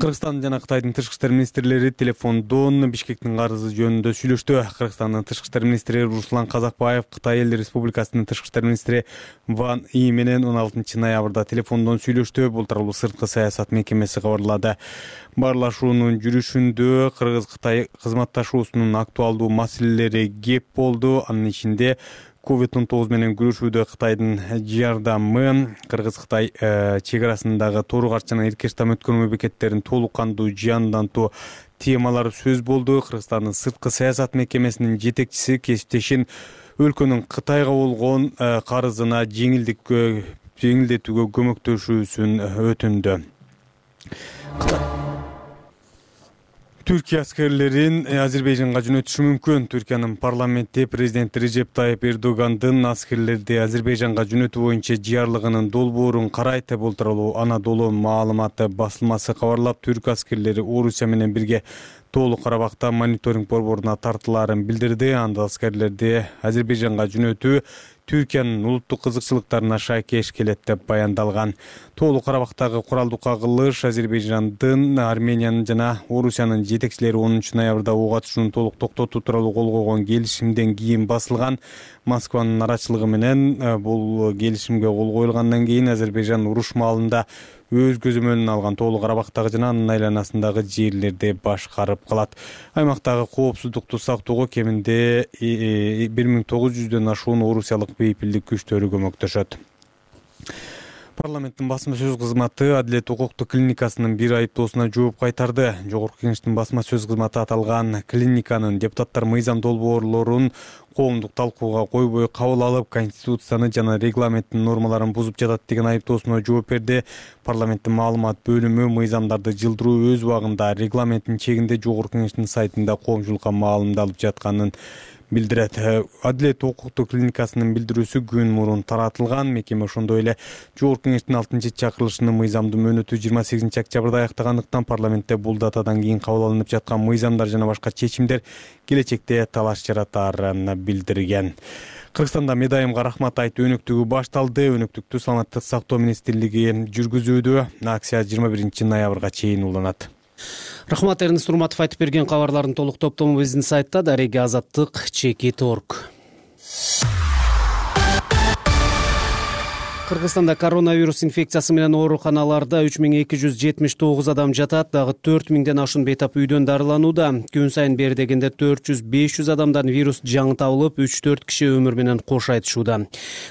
Кыргызстан жана Кытайдын тышкы иштер министрлери телефондон Бишкектин карызы жөнүндө сүйлөштү. Кыргызстандын тышкы иштер министри Руслан Казакбаев Кытай эл республикасынын тышкы иштер министри Ван И менен он алтынчы ноябрда телефондон сүйлөштү. Бул тууралуу сырткы саясат мекемеси кабарлады. Баарлашуунун жүрүшүндө Кыргыз-Кытай кызматташуусунун актуалдуу маселелери кеп болду. Анын ичинде ковид он тогуз менен күрөшүүдө Кытайдын жардамы, Кыргыз-Кытай чек арасындагы Тоорук жана Эркештам өткөрмө бекеттерин толук кандуу жандантуу темалары сөз болду. Кыргызстандын сырткы саясат мекемесинин жетекчиси кесиптешин өлкөнүн Кытайга болгон карызына жеңилдиккө жеңилдетүүгө көмөктөшүүсүн өтүндү. Түркия аскерлерин Азербайжанга жөнөтүшү мүмкүн. Түркиянын парламенти президент Режеп Тайып Эрдогандын аскерлерди Азербайжанга жөнөтүү боюнча жыярлыгынын долбоорун карайт. Бул тууралуу Анадолу маалыматы басылмасы кабарлап, түрк аскерлери Орусия менен бирге Тоолук Карабакта мониторинг борборуна тартылаарын билдирди. Анда аскерлерди Азербайжанга жөнөтүү Түркиянын улуттук кызыкчылыктарына шайкеш келет деп баяндалган. Тоолук Карабактагы куралдуу кагылыш Азербайжандын, Армениянын жана Орусиянын жетекчилери онунчу ноябрда ок атышууну толук токтотуу тууралуу кол койгон келишимден кийин басылган. Москванын арачылыгы менен бул келишимге кол коюлгандан кийин Азербайжан уруш маалында өз көзөмөлүнө алган Тоолук Карабактагы жана анын айланасындагы жерлерди башкарып калат. Аймактагы коопсуздукту сактоого кеминде бир миң тогуз жүздөн ашуун орусиялык бейпилдик күчтөрү көмөктөшөт. Парламенттин басма сөз кызматы Адилет укуктук клиникасынын бир айыптоосуна жооп кайтарды. Жогорку Кеңештин басма сөз кызматы аталган клиниканын депутаттар мыйзам долбоорлорун коомдук талкууга койбой кабыл алып, конституцияны жана регламенттин нормаларын бузуп жатат деген айыптоосуна жооп берди. Парламенттин маалымат бөлүмү мыйзамдарды жылдыруу өз убагында регламенттин чегинде Жогорку Кеңештин сайтында коомчулукка маалымдалып жатканын билдирет. Адилет укуктук клиникасынын билдирүүсү күн мурун таратылган. Мекеме ошондой эле Жогорку Кеңештин алтынчы чакырылышынын мыйзамдуу мөөнөтү жыйырма сегизинчи октябрда аяктагандыктан парламентте бул датадан кийин кабыл алынып жаткан мыйзамдар жана башка чечимдер келечекте талаш жаратаарын билдирген. Кыргызстанда медайымга рахмат айтуу өнөктүгү башталды. Өнөктүктү саламаттык сактоо министрлиги жүргүзүүдө. Акция жыйырма биринчи ноябрга чейин уланат.
Рахмат, Эрнест Урматов айтып берген кабарлардын толук топтому биздин сайтта дареги азаттык чекит точка орг. Кыргызстанда коронавирус инфекциясы менен ооруканаларда үч миң эки жүз жетимиш тогуз адам жатат, дагы төрт миңден ашуун бейтап үйдөн дарыланууда. Күн сайын бери дегенде төрт жүз беш жүз адамдан вирус жаңы табылып, үч төрт киши өмүр менен кош айтышууда.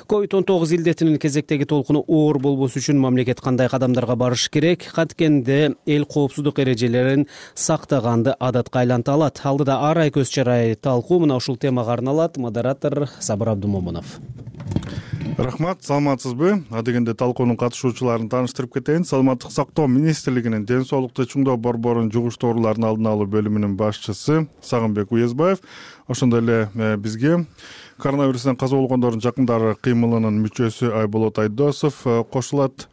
ковид он тогуз илдетинин кезектеги толкуну оор болбош үчүн мамлекет кандай кадамдарга барыш керек? Канткен эл коопсуздук эрежелерин сактаганды адатка айланта алат? Алдыда ар ай көз чарай талкуу мына ушул темага арналат. Модератор Сабыр Абдумомунов.
Рахмат, саламатсызбы? Адегенде талкуунун катышуучуларын тааныштырып кетейин. Саламаттык сактоо министрлигинин ден соолукту чыңдоо борборунун жугуштуу оорулардын алдын алуу бөлүмүнүн башчысы Сагынбек Уезбаев ошондой эле бизге коронавирустан каза болгондордун жакындары кыймылынын мүчөсү Айболот Айдосов кошулат.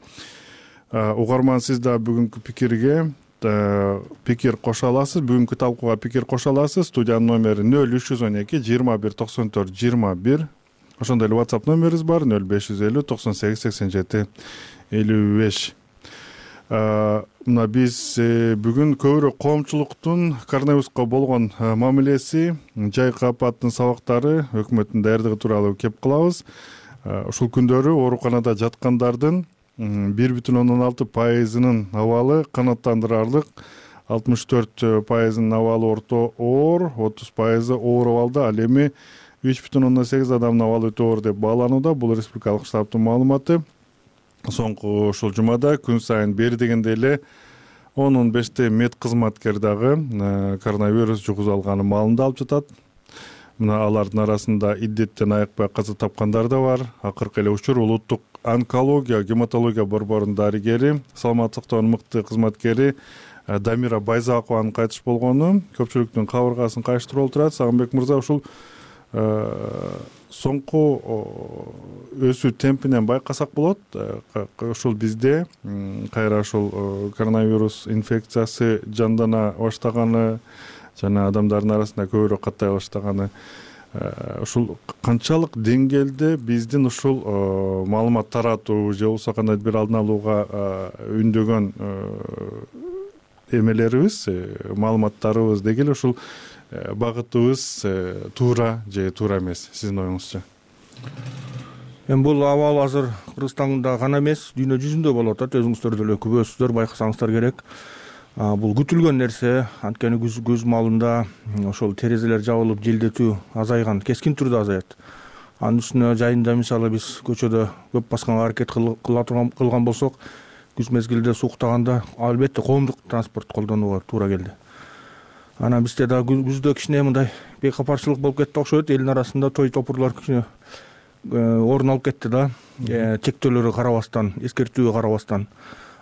Угарман, сиз да бүгүнкү пикирге пикир кошо аласыз. Бүгүнкү талкууга пикир кошо аласыз. Студиянын номери нөл үч жүз он эки жыйырма бир токсон төрт жыйырма бир. Ошондой эле WhatsApp номерибиз бар нөл беш жүз элүү токсон сегиз сексен жети элүү беш. Мына биз бүгүн көбүрөөк коомчулуктун коронавируска болгон мамилеси, жайкы апаттын сабактары, өкмөттүн даярдыгы тууралуу кеп кылабыз. Ушул күндөрү ооруканада жаткандардын бир бүтүн ондон алты пайызынын абалы канааттандырарлык, алтымыш төрт пайызынын абалы орто оор, отуз пайызы оор абалда. Ал эми үч бүтүн ондон сегиз адамдын абалы өтө оор деп бааланууда. Бул республикалык штабтын маалыматы. Соңку ушул жумада күн сайын бери дегенде эле он он беште мед кызматкер дагы коронавирус жугузуп алганы маалында алып жатат. Мына алардын арасында иддеттен айыкпай каза тапкандар да бар. Акыркы эле учур улуттук онкология, гематология борборунун дарыгери, саламаттык сактоонун мыкты кызматкери Дамира Байзакованын кайтыш болгону көпчүлүктүн кабыргасын кайыштырып отурат. Сагынбек мырза, ушул соңку өсүү темпинен байкасак болот. Ушул бизде кайра ушул коронавирус инфекциясы жандана баштаганы жана адамдардын арасында көбүрөөк каттай баштаганы, ушул канчалык деңгээлде биздин ушул маалымат таратуу же болбосо кандайдыр бир алдын алууга үндөгөн эмелерибиз, маалыматтарыбыз деги эле ушул багытыбыз туура же туура эмес, сиздин оюңузча?
Эми бул абал азыр Кыргызстанда гана эмес, дүйнө жүзүндө болуп атат. Өзүңүздөр деле күбөсүздөр, байкасаңыздар керек. Бул күтүлгөн нерсе. Анткени көз маалында ошол терезелер жабылып желдетүү азайган, кескин түрдө азаят. Анын үстүнө жайында мисалы биз көчөдө көп басканга аракет кылган болсок, күз мезгилде сууктаганда албетте коомдук транспорт колдонууга туура келди. Анан бизде да күздө кичине мындай бейкапарчылык болуп кетти окшойт. Элдин арасында той топурлар кичине орун алып кетти да. Чектөөлөргө карабастан, эскертүүгө карабастан.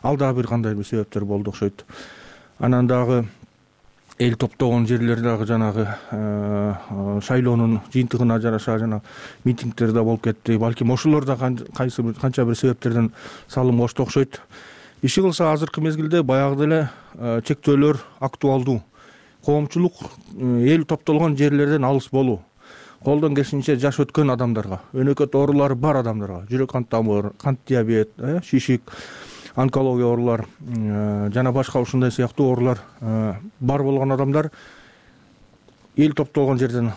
Ал дагы бир кандай бир себептер болду окшойт. Анан дагы эл топтогон жерлер дагы жанагы шайлоонун жыйынтыгына жараша жана митингдер да болуп кетти. Балким ошолор да кайсы бир канча бир себептерден салым кошту окшойт. Иши кылса азыркы мезгилде баягы деле чектөөлөр актуалдуу. Коомчулук эл топтолгон жерлерден алыс болуу, колдон келишинче жаш өткөн адамдарга, өнөкөт оорулары бар адамдарга, жүрөк кант тамыр, кант диабет, шишик, онкология оорулар жана башка ушундай сыяктуу оорулар бар болгон адамдар эл топтолгон жерден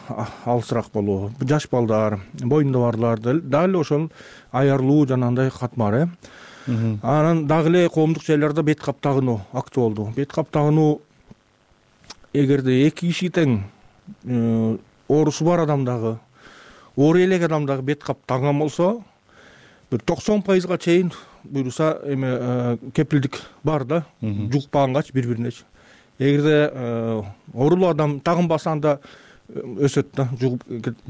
алысыраак болуу, жаш балдар, боюнда барлар дагы эле ошол аярлуу жанагындай катмар. Анан дагы эле коомдук жайларда бет кап тагынуу актуалдуу. Бет кап тагынуу эгерде эки киши тең оорусу бар адамдагы, оор элек адамдагы бет кап таган болсо, бир токсон пайызга чейин буюрса эме кепилдик бар да, жукпагангач бири-биринечи. Эгерде оорулуу адам тагынбаса анда өсөт да, жугуп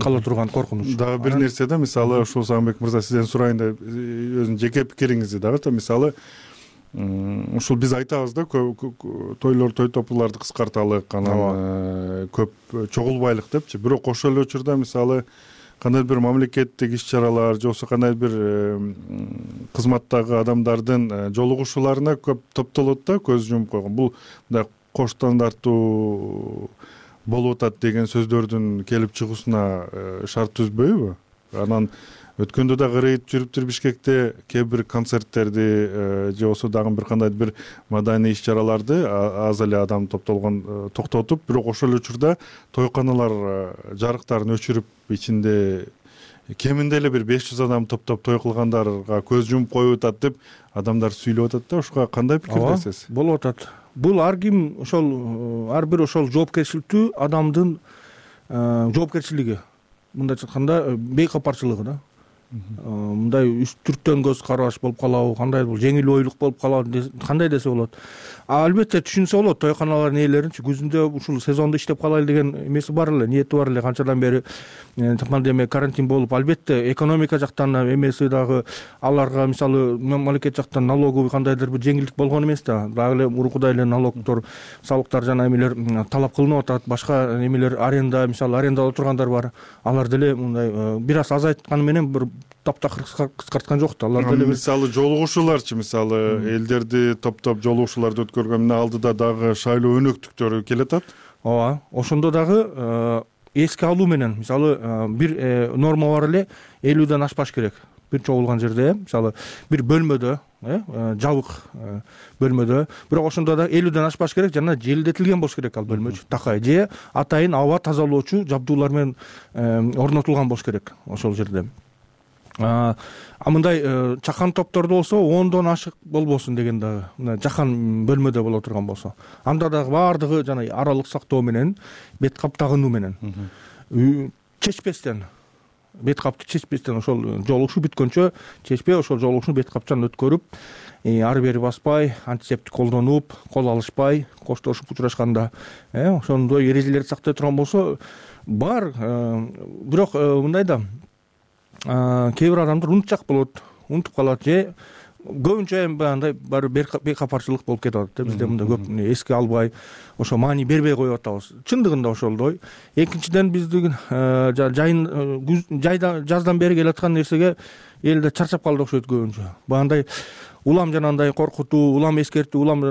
кала турган коркунуч.
Дагы бир нерсе да, мисалы ушул Сагынбек мырза, сизден сурайын да, өзүнүн жеке пикириңизди дагы, мисалы ушул биз айтабыз да, тойлор, той топурларды кыскарталык, анан көп чогулбайлык депчи. Бирок ошол эле учурда мисалы кандайдыр бир мамлекеттик иш-чаралар же болбосо кандайдыр бир кызматтагы адамдардын жолугушууларына көп топтолот да, көз жумуп койгон. Бул мындай кош стандартуу болуп атат деген сөздөрдүн келип чыгуусуна шарт түзбөйбү? Анан өткөндө да кырыйт жүрүптүр Бишкекте кээ бир концерттерди же болбосо дагы бир кандайдыр бир маданий иш-чараларды аз эле адам топтолгон токтотуп, бирок ошол учурда тойканалар жарыктарын өчүрүп ичинде кеминде эле бир беш жүз адам топтоп той кылгандарга көз жумуп коюп атат деп адамдар сүйлөп атат да. Ушуга кандай пикирдесиз?
Болуп атат. Бул ар ким ошол ар бир ошол жоопкерчиликтүү адамдын жоопкерчилиги. Мындайча айтканда бейкапарчылыгы да. Мындай үстүрттөн көз караш болуп калабы, кандай бул жеңил ойлук болуп калабы, кандай десе болот. Албетте түшүнсө болот, тойканалардын ээлеринчи күзүндө ушул сезондо иштеп калайлы деген эмеси бар эле, ниети бар эле. Канчадан бери пандемия, карантин болуп, албетте экономика жактан эмеси дагы аларга мисалы мамлекет жактан налоговый кандайдыр бир жеңилдик болгон эмес да. Дагы эле мурункудай эле налогдор, салыктар жана эмелер талап кылынып атат. Башка эмелер аренда, мисалы арендада тургандар бар. Алар деле мындай бир аз азайтканы менен бир таптакыр кыскарткан жок да. Алар деле
мисалы жолугушууларчы, мисалы элдерди топтоп жолугушууларды өткөргөндө алдыда дагы шайлоо өнөктүктөрү келатат.
Ооба, ошондо дагы эске алуу менен мисалы бир норма бар эле, элүүдөн ашпаш керек. Бир чогулган жерде, мисалы бир бөлмөдө, жабык бөлмөдө, бирок ошондо да элүүдөн ашпаш керек жана желдетилген болуш керек ал бөлмөчү, такай же атайын аба тазалоочу жабдуулар менен орнотулган болуш керек ошол жерде. А мындай чакан топтордо болсо ондон ашык болбосун деген дагы, мына жакан бөлмөдө боло турган болсо. Анда дагы баардыгы жана аралык сактоо менен, бет кап тагынуу менен, чечпестен, бет капты чечпестен ошол жолугушуу бүткөнчө чечпей ошол жолугушууну бет капчан өткөрүп, ары бери баспай, антисептик колдонуп, кол алышпай, коштошуп учурашканда, ошондой эрежелерди сактай турган болсо бар. Бирок мындай да, кээ бир адамдар унутчак болот, унутуп калат же көбүнчө эми андай баары бейкапарчылык болуп кетип атат да. Бизде мындай көп эске албай, ошо маани бербей коюп атабыз. Чындыгында ошолдой. Экинчиден биздин жайын жайда жаздан бери келаткан нерсеге элде чарчап калды окшойт көбүнчө. Баягындай улам жанагындай коркутуу, улам эскертүү, улам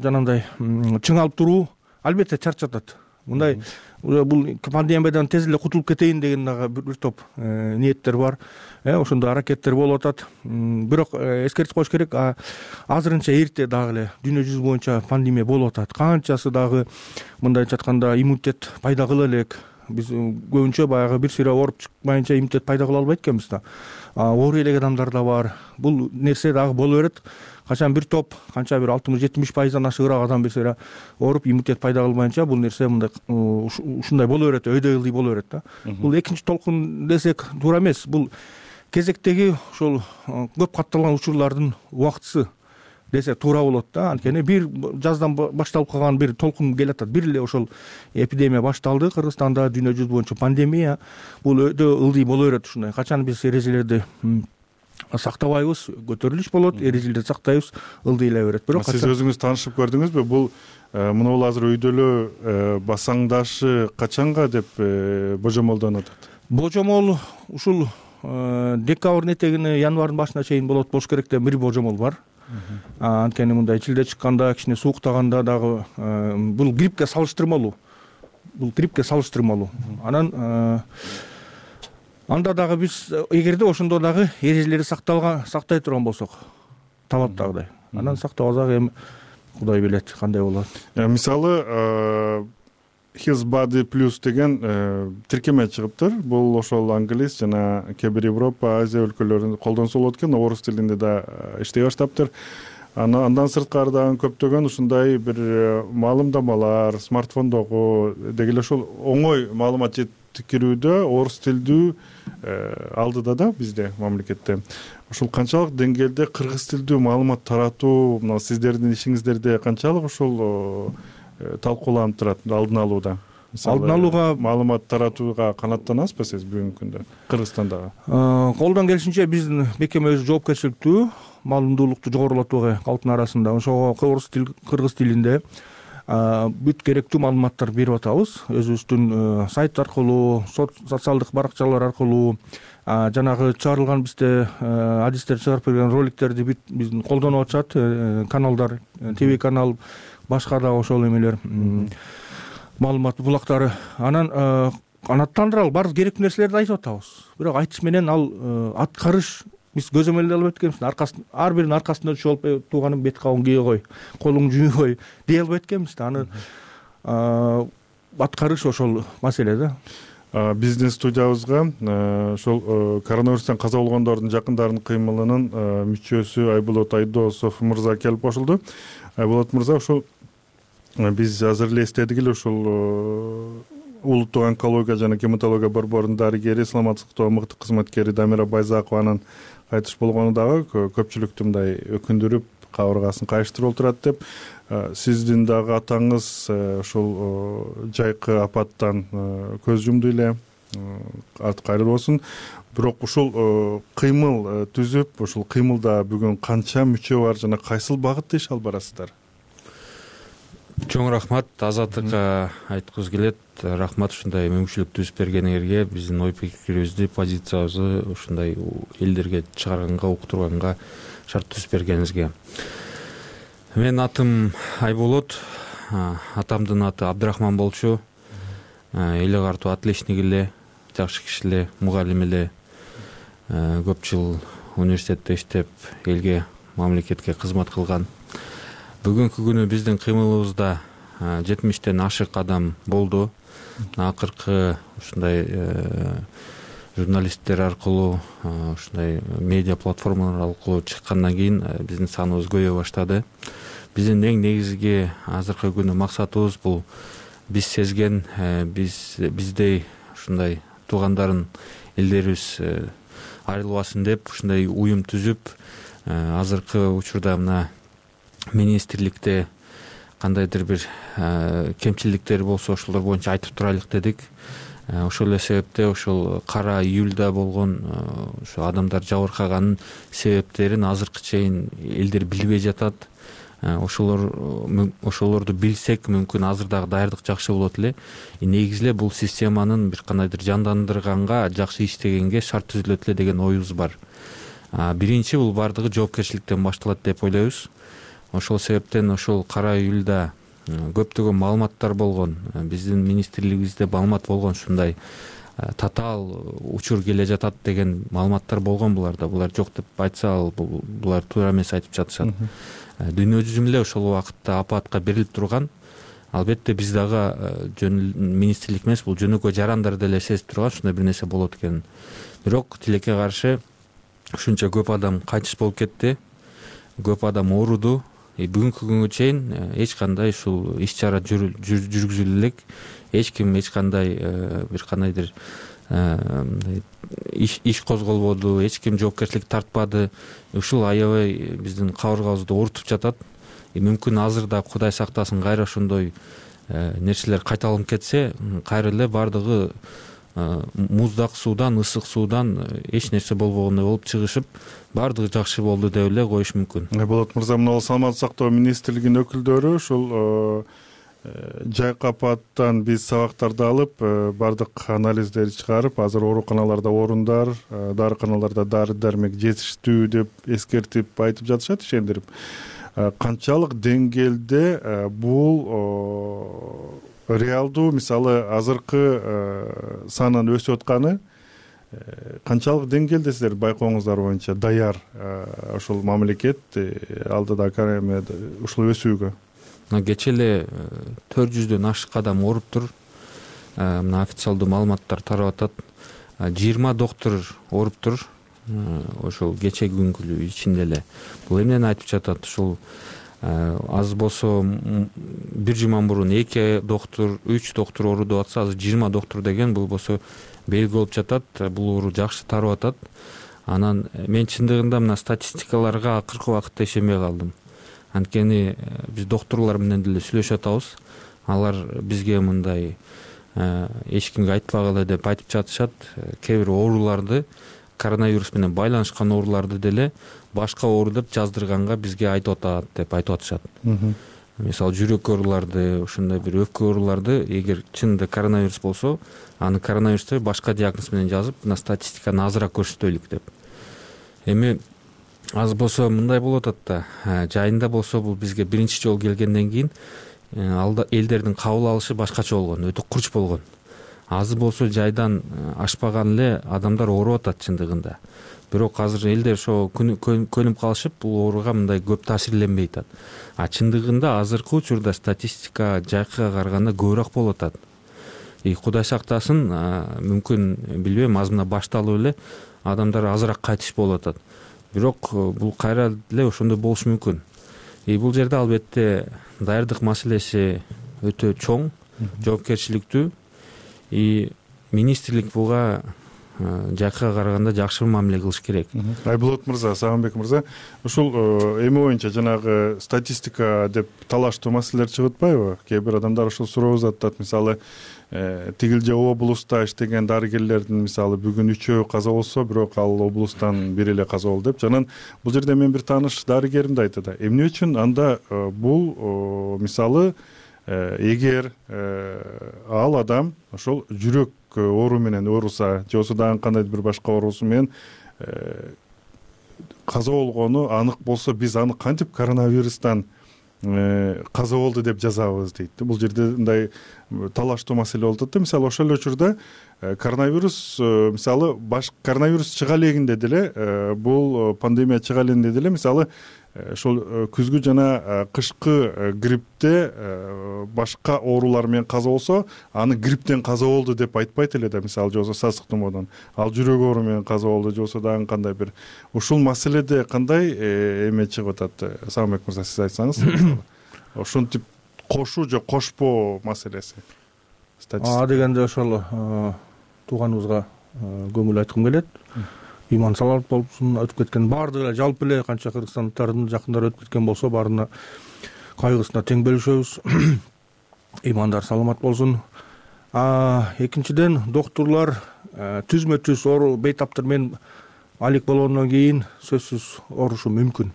жанагындай чыңалып туруу албетте чарчатат. Мындай бул пандемиядан тез эле кутулуп кетейин деген дагы бир топ ниеттер бар. Ошондой аракеттер болуп атат. Бирок эскертип коюш керек, азырынча эрте дагы эле дүйнө жүзү боюнча пандемия болуп атат. Канчасы дагы мындайча айтканда иммунитет пайда кыла элек. Биз көбүнчө баягы бир сыйра ооруп чыкпайынча иммунитет пайда кыла албайт экенбиз да. Оорой элек адамдар да бар. Бул нерсе дагы боло берет. Качан бир топ, канча бир алтымыш жетимиш пайыздан ашыгыраак адам бир сыйра ооруп иммунитет пайда кылбайынча бул нерсе мындай ушундай боло берет, өйдөй ылдый боло берет да. Бул экинчи толкун десек туура эмес. Бул кезектеги ошол көп катталган учурлардын убактысы десе туура болот да. Анткени бир жаздан башталып калган бир толкун келатат. Бир эле ошол эпидемия башталды Кыргызстанда, дүйнө жүзү боюнча пандемия. Бул өтө ылдый боло берет ушундай. Качан биз эрежелерди сактабайбыз, көтөрүлүш болот, эрежелерди сактайбыз, ылдый эле берет. Бирок
сиз өзүңүз таанышып көрдүңүзбү? Бул мына бул азыр өйдөлөө басаңдашы качанга деп божомолдонуп атат?
Божомол ушул декабрдын этегине, январдын башына чейин болот болуш керек деп бир божомол бар. Анткени мындай чилде чыкканда, кичине сууктаганда дагы бул гриппке салыштырмалуу. Бул гриппке салыштырмалуу. Анан анда дагы биз эгерде ошондо дагы эрежелерди сакталган, сактай турган болсок, талаптагыдай, анан сактабасак эми Кудай билет кандай болот.
Мисалы His Body Plus деген тиркеме чыгыптыр. Бул ошол англис жана кээ бир Европа, Азия өлкөлөрүндө колдонсо болот экен, орус тилинде да иштей баштаптыр. Андан сырткары дагы көптөгөн ушундай бир маалымдамалар смартфондогу деги эле ошол оңой маалымат жеткирүүдө орус тилдүү алдыда да бизде мамлекетте. Ошол канчалык деңгээлде кыргыз тилдүү маалымат таратуу, мына сиздердин ишиңиздерде канчалык ошол талкууланып турат алдын алууда?
Алдын алууга,
маалымат таратууга канааттанасызбы сиз бүгүнкү күндө Кыргызстандагы?
Колдон келишинче биздин мекеме өзү жоопкерчиликтүү, маалымдуулукту жогорулатууга калктын арасында ошого орус тил, кыргыз тилинде бүт керектүү маалыматтар берип атабыз. Өзүбүздүн сайт аркылуу, социалдык баракчалар аркылуу, жанагы чыгарылган бизде адистер чыгарып берген роликтерди бүт биздин колдонуп атышат каналдар, ТВ канал, башка да ошол эмелер маалымат булактары. Анан канааттандыралы баардык керектүү нерселерди айтып атабыз, бирок айтыш менен ал аткарыш биз көзөмөлдөй албай эткенбиз. Аркасын ар биринин аркасында түшүп алып тууганың бет кабын кие кой, колуң жууй кой дей албай эткенбиз да. Аны аткарыш ошол маселе да.
Биздин студиябызга ошол коронавирустан каза болгондордун жакындарынын кыймылынын мүчөсү Айболот Айдосов мырза келип кошулду. Айболот мырза, ошол биз азыр эле эстедик эле ушул улуттук онкология жана гематология борборунун дарыгери, саламаттык сактоо мыкты кызматкери Дамира Байзакованын кайтыш болгону дагы көпчүлүктү мындай өкүндүрүп, кабыргасын кайыштырып отурат деп. Сиздин дагы атаңыз ошол жайкы апаттан көз жумду эле, аты кайрылуу болсун. Бирок ушул кыймыл түзүп, ушул кыймылда бүгүн канча мүчө бар жана кайсыл багытта иш алып барасыздар?
Чоң рахмат, Азаттыкка айткыбыз келет. Рахмат ушундай мүмкүнчүлүк түзүп бергениңерге, биздин ой пикирибизди, позициябызды ушундай элдерге чыгарганга, уктурганга шарт түзүп бергениңизге. Мен атым Айболот, атамдын аты Абдрахман болчу. Эле картуу отличник эле, жакшы киши эле, мугалим эле. Көп жыл университетте иштеп, элге, мамлекетке кызмат кылган. Бүгүнкү күнү биздин кыймылыбызда жетимиштен ашык адам болду. Акыркы ушундай журналисттер аркылуу, ушундай медиа платформалар аркылуу чыккандан кийин биздин саныбыз көбөйө баштады. Биздин эң негизги азыркы күнү максатыбыз бул биз сезген, биз биздей ушундай туугандарын элдерибиз айрылбасын деп ушундай уюм түзүп, азыркы учурда мына министрликте кандайдыр бир кемчиликтер болсо ошолор боюнча айтып турайлык дедик. Ошол эле себептен ошол кара июлда болгон ошо адамдар жабыркаганын себептерин азыркы чейин элдер билбей жатат. Ошолор ошолорду билсек, мүмкүн азыр дагы даярдык жакшы болот эле. Негизи эле бул системанын бир кандайдыр жандандырганга, жакшы иштегенге шарт түзүлөт эле деген оюбуз бар. Биринчи бул бардыгы жоопкерчиликтен башталат деп ойлойбуз. Ошол себептен ошол кара июлда көптөгөн маалыматтар болгон, биздин министрлигибизде маалымат болгон, ушундай татаал учур келе жатат деген маалыматтар болгон буларда. Булар жок деп айтса, ал булар туура эмес айтып жатышат. Дүйнө жүзүм эле ошол убакытта апатка берилип турган. Албетте биз дагы министрлик эмес, бул жөнөкөй жарандар деле сезип турган ушундай бир нерсе болот экенин. Бирок тилекке каршы ушунча көп адам кайтыш болуп кетти. Көп адам ооруду. Бүгүнкү күнгө чейин эч кандай ушул иш-чара жүргүзүлө элек. Эч ким эч кандай бир кандайдыр иш иш козголбоду, эч ким жоопкерчилик тартпады. Ушул аябай биздин кабыргабызды оорутуп жатат. Мүмкүн азыр да Кудай сактасын кайра ошондой нерселер кайталанып кетсе, кайра эле бардыгы муздак суудан, ысык суудан эч нерсе болбогондой болуп чыгышып, бардыгы жакшы болду деп эле коюш мүмкүн.
Болот мырза, мына саламаттык сактоо министрлигинин өкүлдөрү ушул жайкы апаттан биз сабактарды алып, бардык анализдерди чыгарып, азыр ооруканаларда орундар, дарыканаларда дары дармек жетиштүү деп эскертип айтып жатышат, ишендирип. Канчалык деңгээлде бул реалдуу, мисалы азыркы санын өсүп атканы канчалык деңгээлде сиздер байкооңуздар боюнча даяр ошол мамлекет алдыда ушул өсүүгө?
Кечээ эле төрт жүздөн ашык адам ооруптур. Мына официалдуу маалыматтар тарап атат. жыйырма доктор ооруптур. Ошол кечээ күнгү ичинде эле. Бул эмнени айтып жатат? Ушул аз болсо бир жума мурун эки доктор, үч доктор ооруду атса, азыр жыйырма доктор деген бул болсо белги болуп жатат. Бул оору жакшы тарап атат. Анан мен чындыгында мына статистикаларга акыркы убакытта ишенбей калдым. Анткени биз докторлор менен деле сүйлөшүп атабыз. Алар бизге мындай эч кимге айтпагыла деп айтып жатышат. Кээ бир ооруларды, коронавирус менен байланышкан ооруларды деле башка оору деп жаздырганга бизге айтып атат деп айтып атышат. Мисалы жүрөк ооруларды, ушундай бир өпкө ооруларды эгер чынында коронавирус болсо, аны коронавирусты башка диагноз менен жазып, мына статистиканы азыраак көрсөтөлүк деп. Эми аз болсо мындай болуп атат да, жайында болсо бул бизге биринчи жолу келгенден кийин алда элдердин кабыл алышы башкача болгон, өтө курч болгон. азы болсо жайдан ашпаган эле адамдар ооруп атат чындыгында. Бирок азыр элдер ошо көнүп калышып, бул ооруга мындай көп таасирленбей атат. А чындыгында азыркы учурда статистика жайкыга караганда көбүрөөк болуп атат. И Кудай сактасын, мүмкүн билбейм, аз мына башталып эле адамдар азыраак кайтыш болуп атат. Бирок бул кайра эле ошондой болушу мүмкүн. И бул жерде албетте даярдык маселеси өтө чоң, жоопкерчиликтүү. И министрлик буга жакыга караганда жакшы мамиле кылыш керек.
Айболот мырза, Сагынбек мырза, ушул эми боюнча жанагы статистика деп талаштуу маселелер чыгып атпайбы? Кээ бир адамдар ушул суроо узатат. Мисалы, тигил же облуста иштеген дарыгерлердин мисалы бүгүн үчөө каза болсо, бирок ал облустан бири эле каза болду деп. Жанан бул жерде мен бир тааныш дарыгерим да айтат. Эмне үчүн анда бул мисалы эгер ал адам ошол жүрөк оору менен ооруса, же болбосо дагы кандайдыр бир башка оорусу менен каза болгону анык болсо, биз аны кантип коронавирустан каза болду деп жазабыз дейт. Бул жерде мындай талаштуу маселе болуп атат. Мисалы ошол эле учурда коронавирус мисалы баш коронавирус чыга элегинде деле, бул пандемия чыга элегинде деле мисалы ошол күзгү жана кышкы гриппте башка оорулар менен каза болсо, аны грипптен каза болду деп айтпайт эле да, мисалы же болбосо сасык тумоодон. Ал жүрөк оору менен каза болду же болбосо дагы кандай бир. Ушул маселеде кандай эме чыгып атат? Сагынбек мырза, сиз айтсаңыз. Ошентип кошуу же кошпоо маселеси.
А дегенде ошол тууганыбызга көңүл айткым келет. Иман саламат болсун, өтүп кеткен баардыгы эле жалпы эле канча кыргызстандыктардын жакындары өтүп кеткен болсо, баарына кайгысына тең бөлүшөбүз. Имандар саламат болсун. А экинчиден, доктурлар түзмө түз оору бейтаптар менен алек болгондон кийин сөзсүз оорушу мүмкүн.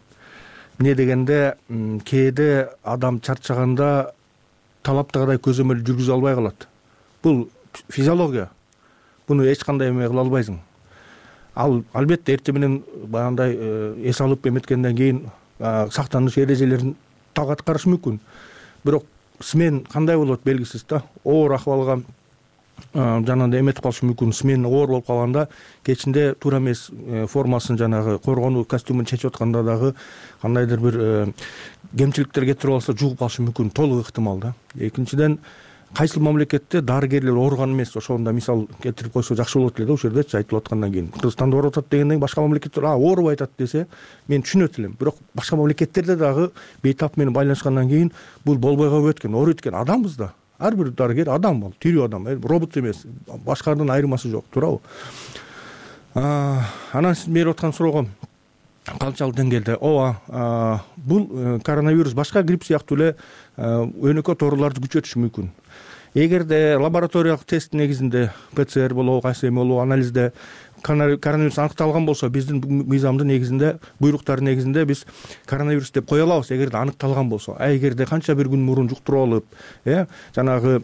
Эмне дегенде, кээде адам чарчаганда талаптагыдай көзөмөл жүргүзө албай калат. Бул физиология. Буну эч кандай эме кыла албайсың. Ал албетте эртең менен баягындай эс алып эметкенден кийин сактаныш эрежелерин так аткарыш мүмкүн. Бирок смен кандай болот белгисиз да. Оор акыбалга жанагындай эметип калышы мүмкүн. Смен оор болуп калганда кечинде туура эмес формасын, жанагы коргонуу костюмун чечип атканда дагы кандайдыр бир кемчиликтер кетирип алса, жугуп калышы мүмкүн, толук ыктымал да. Экинчиден, кайсыл мамлекетте дарыгерлер ооруган эмес, ошондо мисал келтирип койсо жакшы болот эле да, ушул жердечи айтылып аткандан кийин. Кыргызстанда ооруп атат дегенден кийин башка мамлекеттер а оорубай атат десе, мен түшүнөт элем. Бирок башка мамлекеттерде дагы бейтап менен байланышкандан кийин бул болбой калып өткөн. Ооруйт экен, адамбыз да. Ар бир дарыгер адам бол, тирүү адам, робот эмес, башкадан айырмасы жок, туурабы? Анан сиз берип аткан суроого канчалык деңгээлде? Ооба, бул коронавирус башка грипп сыяктуу эле өнөкөт ооруларды күчөтүшү мүмкүн. Эгерде лабораториялык тест негизинде ПЦР болобу, кайсы эме болобу, анализде коронавирус аныкталган болсо, биздин мыйзамдын негизинде, буйруктардын негизинде биз коронавирус деп кое алабыз, эгерде аныкталган болсо. А эгерде канча бир күн мурун жуктуруп алып, э, жанагы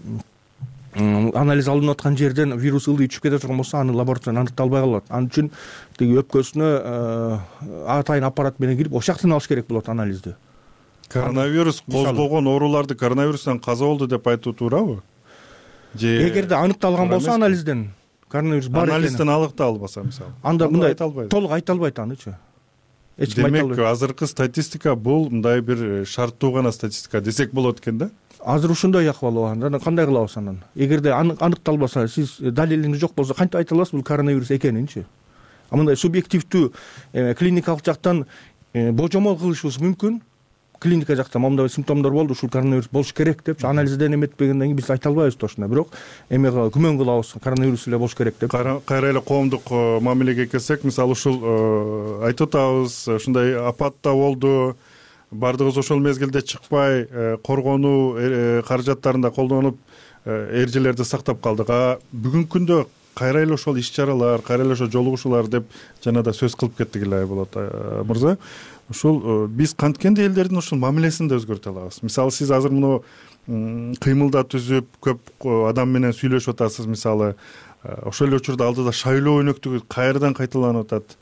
анализ алынып аткан жерден вирус ылдый түшүп кете турган болсо, аны лабораториядан аныкталбай калат. Анын үчүн тиги өпкөсүнө атайын аппарат менен кирип, ошол жактан алыш керек болот анализди.
Коронавирус козгогон ооруларды коронавирустан каза болду деп айтуу туурабы?
Эгерде аныкталган болсо анализден коронавирус бар экени.
Анализден аныкталбаса мисалы.
Анда мындай толук айта албайт анычы.
Эч ким айта албайт. Демек, азыркы статистика бул мындай бир шарттуу гана статистика десек болот экен да?
Азыр ушундай акыбал болгон. Кандай кылабыз анан? Эгерде аныкталбаса, сиз далилиңиз жок болсо, кантип айта аласыз бул коронавирус экенинчи? А мындай субъективдүү клиникалык жактан божомол кылышыбыз мүмкүн. Клиника жакта мындай симптомдор болду, ушул коронавирус болуш керек деп анализден эметпегенден кийин биз айта албайбыз точно. Бирок эме күмөн кылабыз, коронавирус эле болуш керек деп.
Кайра эле коомдук мамилеге келсек, мисалы ушул айтып атабыз, ушундай апат да болду, баардыгыбыз ошол мезгилде чыкпай коргонуу каражаттарында колдонуп эрежелерди сактап калдык. А бүгүнкү күндө кайра эле ошол иш-чаралар, кайра эле ошол жолугушуулар деп жана да сөз кылып кеттик эле Айболот мырза. Ушул биз канткенде элдердин ушул мамилесин да өзгөртө алабыз. Мисалы, сиз азыр муну кыймылда түзүп, көп адам менен сүйлөшүп атасыз, мисалы, ошол эле учурда алдыда шайлоо өнөктүгү кайрадан кайталанып атат.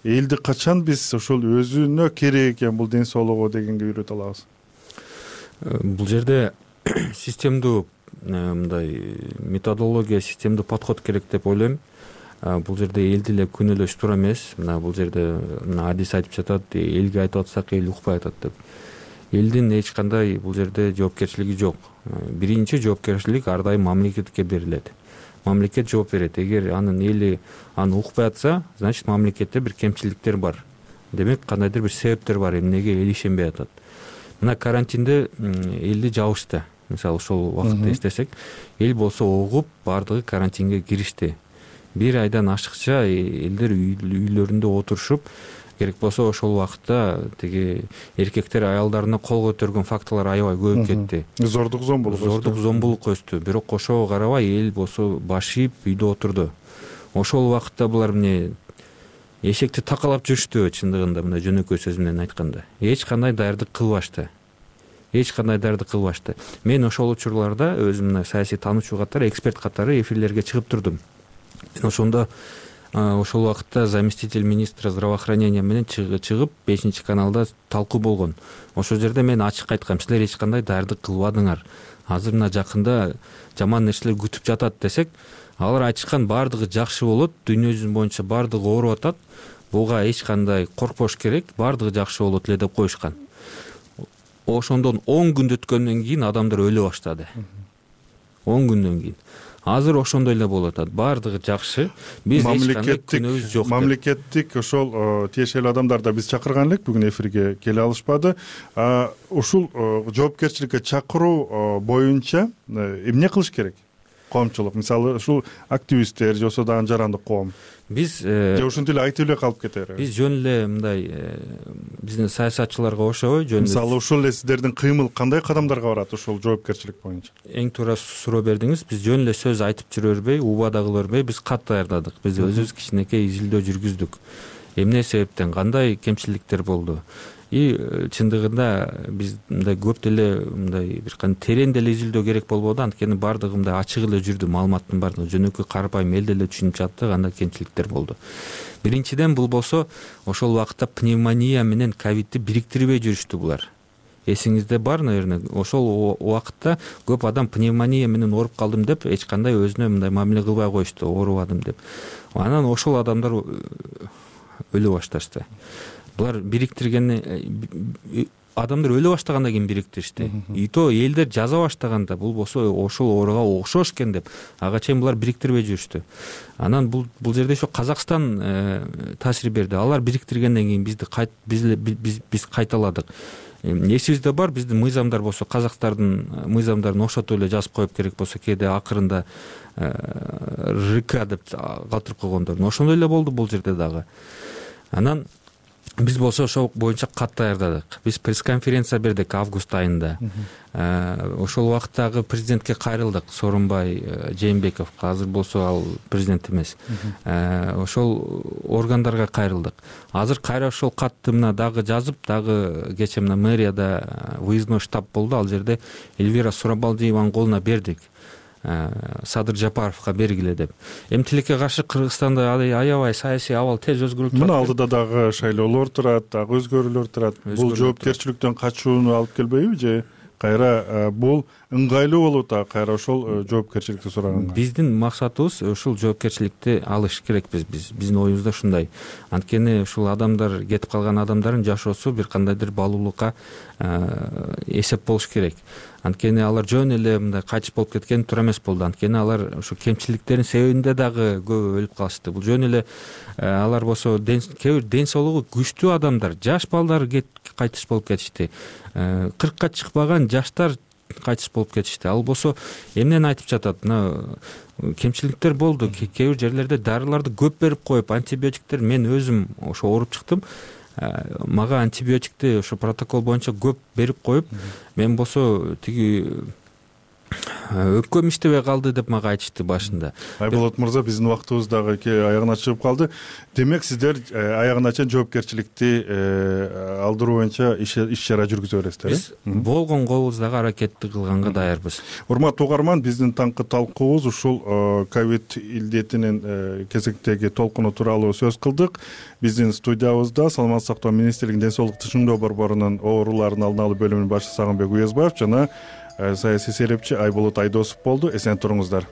Элди качан биз ошол өзүнө керек экен бул ден соолугу дегенге үйрөтө алабыз?
Бул жерде системдүү мындай методология, системдүү подход керек деп ойлойм. Бул жерде элди эле күнөөлөш туура эмес. Мына бул жерде мына адис айтып жатат, элге айтып атсак эл укпай атат деп. Элдин эч кандай бул жерде жоопкерчилиги жок. Биринчи жоопкерчилик ар дайым мамлекетке берилет. Мамлекет жооп берет. Эгер анын эли аны укпай атса, значит мамлекетте бир кемчиликтер бар. Демек кандайдыр бир себептер бар эмнеге эл ишенбей атат. Мына карантинде элди жабышты. Мисалы ошол убакытты эстесек, эл болсо угуп баардыгы карантинге киришти. Бир айдан ашыкча элдер үйлөрүндө отурушуп, керек болсо ошол убакытта тиги эркектер аялдарына кол көтөргөн фактылар аябай көбөйүп кетти.
Зордук зомбулук өстү.
Зордук зомбулук өстү. Бирок ошого карабай эл болсо баш ийип үйдө отурду. Ошол убакытта булар эмне эшекти такалап жүрүштү, чындыгында мына жөнөкөй сөз менен айтканда. Эч кандай даярдык кылбашты. Эч кандай даярдык кылбашты. Мен ошол учурларда өзүм мына саясий таануучу катары, эксперт катары эфирлерге чыгып турдум. Ошондо ошол убакытта заместитель министра здравоохранения менен чыгып бешинчи каналда талкуу болгон. Ошол жерде мен ачык айткам, силер эч кандай даярдык кылбадыңар. Азыр мына жакында жаман нерселер күтүп жатат десек, алар айтышкан баардыгы жакшы болот, дүйнө жүзү боюнча баардыгы ооруп атат. Буга эч кандай коркпош керек, баардыгы жакшы болот эле деп коюшкан. Ошондон он күн өткөндөн кийин адамдар өлө баштады. он күндөн кийин. Азыр ошондой эле болуп атат. Баардыгы жакшы. Биз эч кандай күнөөбүз жок.
Мамлекеттик ошол тиешелүү адамдар да биз чакырган элек, бүгүн эфирге келе алышпады. Ушул жоопкерчиликке чакыруу боюнча эмне кылыш керек? Коомчулук, мисалы, ушул активисттер же болбосо дагы жарандык коом.
Биз
же ушинтип эле айтып эле калып кетери.
Биз жөн эле мындай биздин саясатчыларга окшобой, жөн эле.
Мисалы, ушул эле сиздердин кыймыл кандай кадамдарга барат ушул жоопкерчилик боюнча?
Эң туура суроо бердиңиз. Биз жөн эле сөз айтып жүрө бербей, убада кыла бербей, биз кат даярдадык. Биз өзүбүз кичинекей изилдөө жүргүздүк. Эмне себептен, кандай кемчиликтер болду? И чындыгында биз мындай көп деле мындай бир кандай терең деле изилдөө керек болбоду, анткени баардыгы мындай ачык эле жүрдү, маалыматтын баардыгы жөнөкөй карапайым эл деле түшүнүп жатты, кандай кемчиликтер болду. Биринчиден, бул болсо ошол убакытта пневмония менен ковидти бириктирбей жүрүштү булар. Эсиңизде бар, наверное, ошол убакытта көп адам пневмония менен ооруп калдым деп эч кандай өзүнө мындай мамиле кылбай коюшту, оорубадым деп. Анан ошол адамдар өлө башташты. Булар бириктирген адамдар өлө баштагандан кийин бириктиришти. И то элдер жаза баштаганда бул болсо ошол ооруга окшош экен деп, ага чейин булар бириктирбей жүрүштү. Анан бул бул жерде ошо Казакстан таасир берди. Алар бириктиргенден кийин бизди биз биз биз кайталадык. Эсибизде бар, биздин мыйзамдар болсо Казакстандын мыйзамдарын ошотуп эле жазып коюп, керек болсо кээде акырында РК деп калтырып койгондор. Ошондой эле болду бул жерде дагы. Анан биз болсо ошол боюнча кат даярдадык. Биз пресс-конференция бердик август айында. Ошол убакыттагы президентке кайрылдык, Сооронбай Жээнбековго. Азыр болсо ал президент эмес. Ошол органдарга кайрылдык. Азыр кайра ошол катты мына дагы жазып, дагы кечээ мына мэрияда выездной штаб болду. Ал жерде Эльвира Сурабалдиеванын колуна бердик. Садыр Жапаровго бергиле деп. Эми тилекке каршы Кыргызстанда аябай саясий абал тез өзгөрүп турат.
Мына алдыда дагы шайлоолор турат, дагы өзгөрүүлөр турат. Бул жоопкерчиликтен качууну алып келбейби же кайра бул ыңгайлуу болуп атат, кайра ошол жоопкерчиликти сураганга? Биздин
максатыбыз ушул жоопкерчиликти алыш керекпиз биз. Биздин оюбузда ушундай. Анткени ушул адамдар, кетип калган адамдардын жашоосу бир кандайдыр баалуулукка эсеп болуш керек. Анткени алар жөн эле мындай кайтыш болуп кеткен туура эмес болду. Анткени алар ушу кемчиликтердин себебинде дагы көп өлүп калышты. Бул жөн эле алар болсо кээ бир ден соолугу күчтүү адамдар, жаш балдар кайтыш болуп кетишти. кыркка чыкпаган жаштар кайтыш болуп кетишти. Ал болсо эмнени айтып жатат? Мына кемчиликтер болду. Кээ бир жерлерде дарыларды көп берип коюп, антибиотиктер, мен өзүм ошо ооруп чыктым. Мага антибиотикти ошо протокол боюнча көп берип коюп, мен болсо тиги өпкөм иштебей калды деп мага айтышты башында.
Айболот мырза, биздин убактыбыз дагы аягына чыгып калды. Демек сиздер аягына чейин жоопкерчиликти алдыруу боюнча иш чара жүргүзө бересиздер.
Биз болгон колубуздагы аракетти кылганга даярбыз.
Урматтуу угарман, биздин таңкы талкуубуз ушул ковид илдетинин кезектеги толкуну тууралуу сөз кылдык. Биздин студиябызда Саламаттык сактоо министрлигинин ден соолукту чыңдоо борборунун оорулардын алдын алуу бөлүмүнүн башчысы Сагынбек Уязбаев жана саясий серепчи Айболот Айдосов болду. Эсен туруңуздар.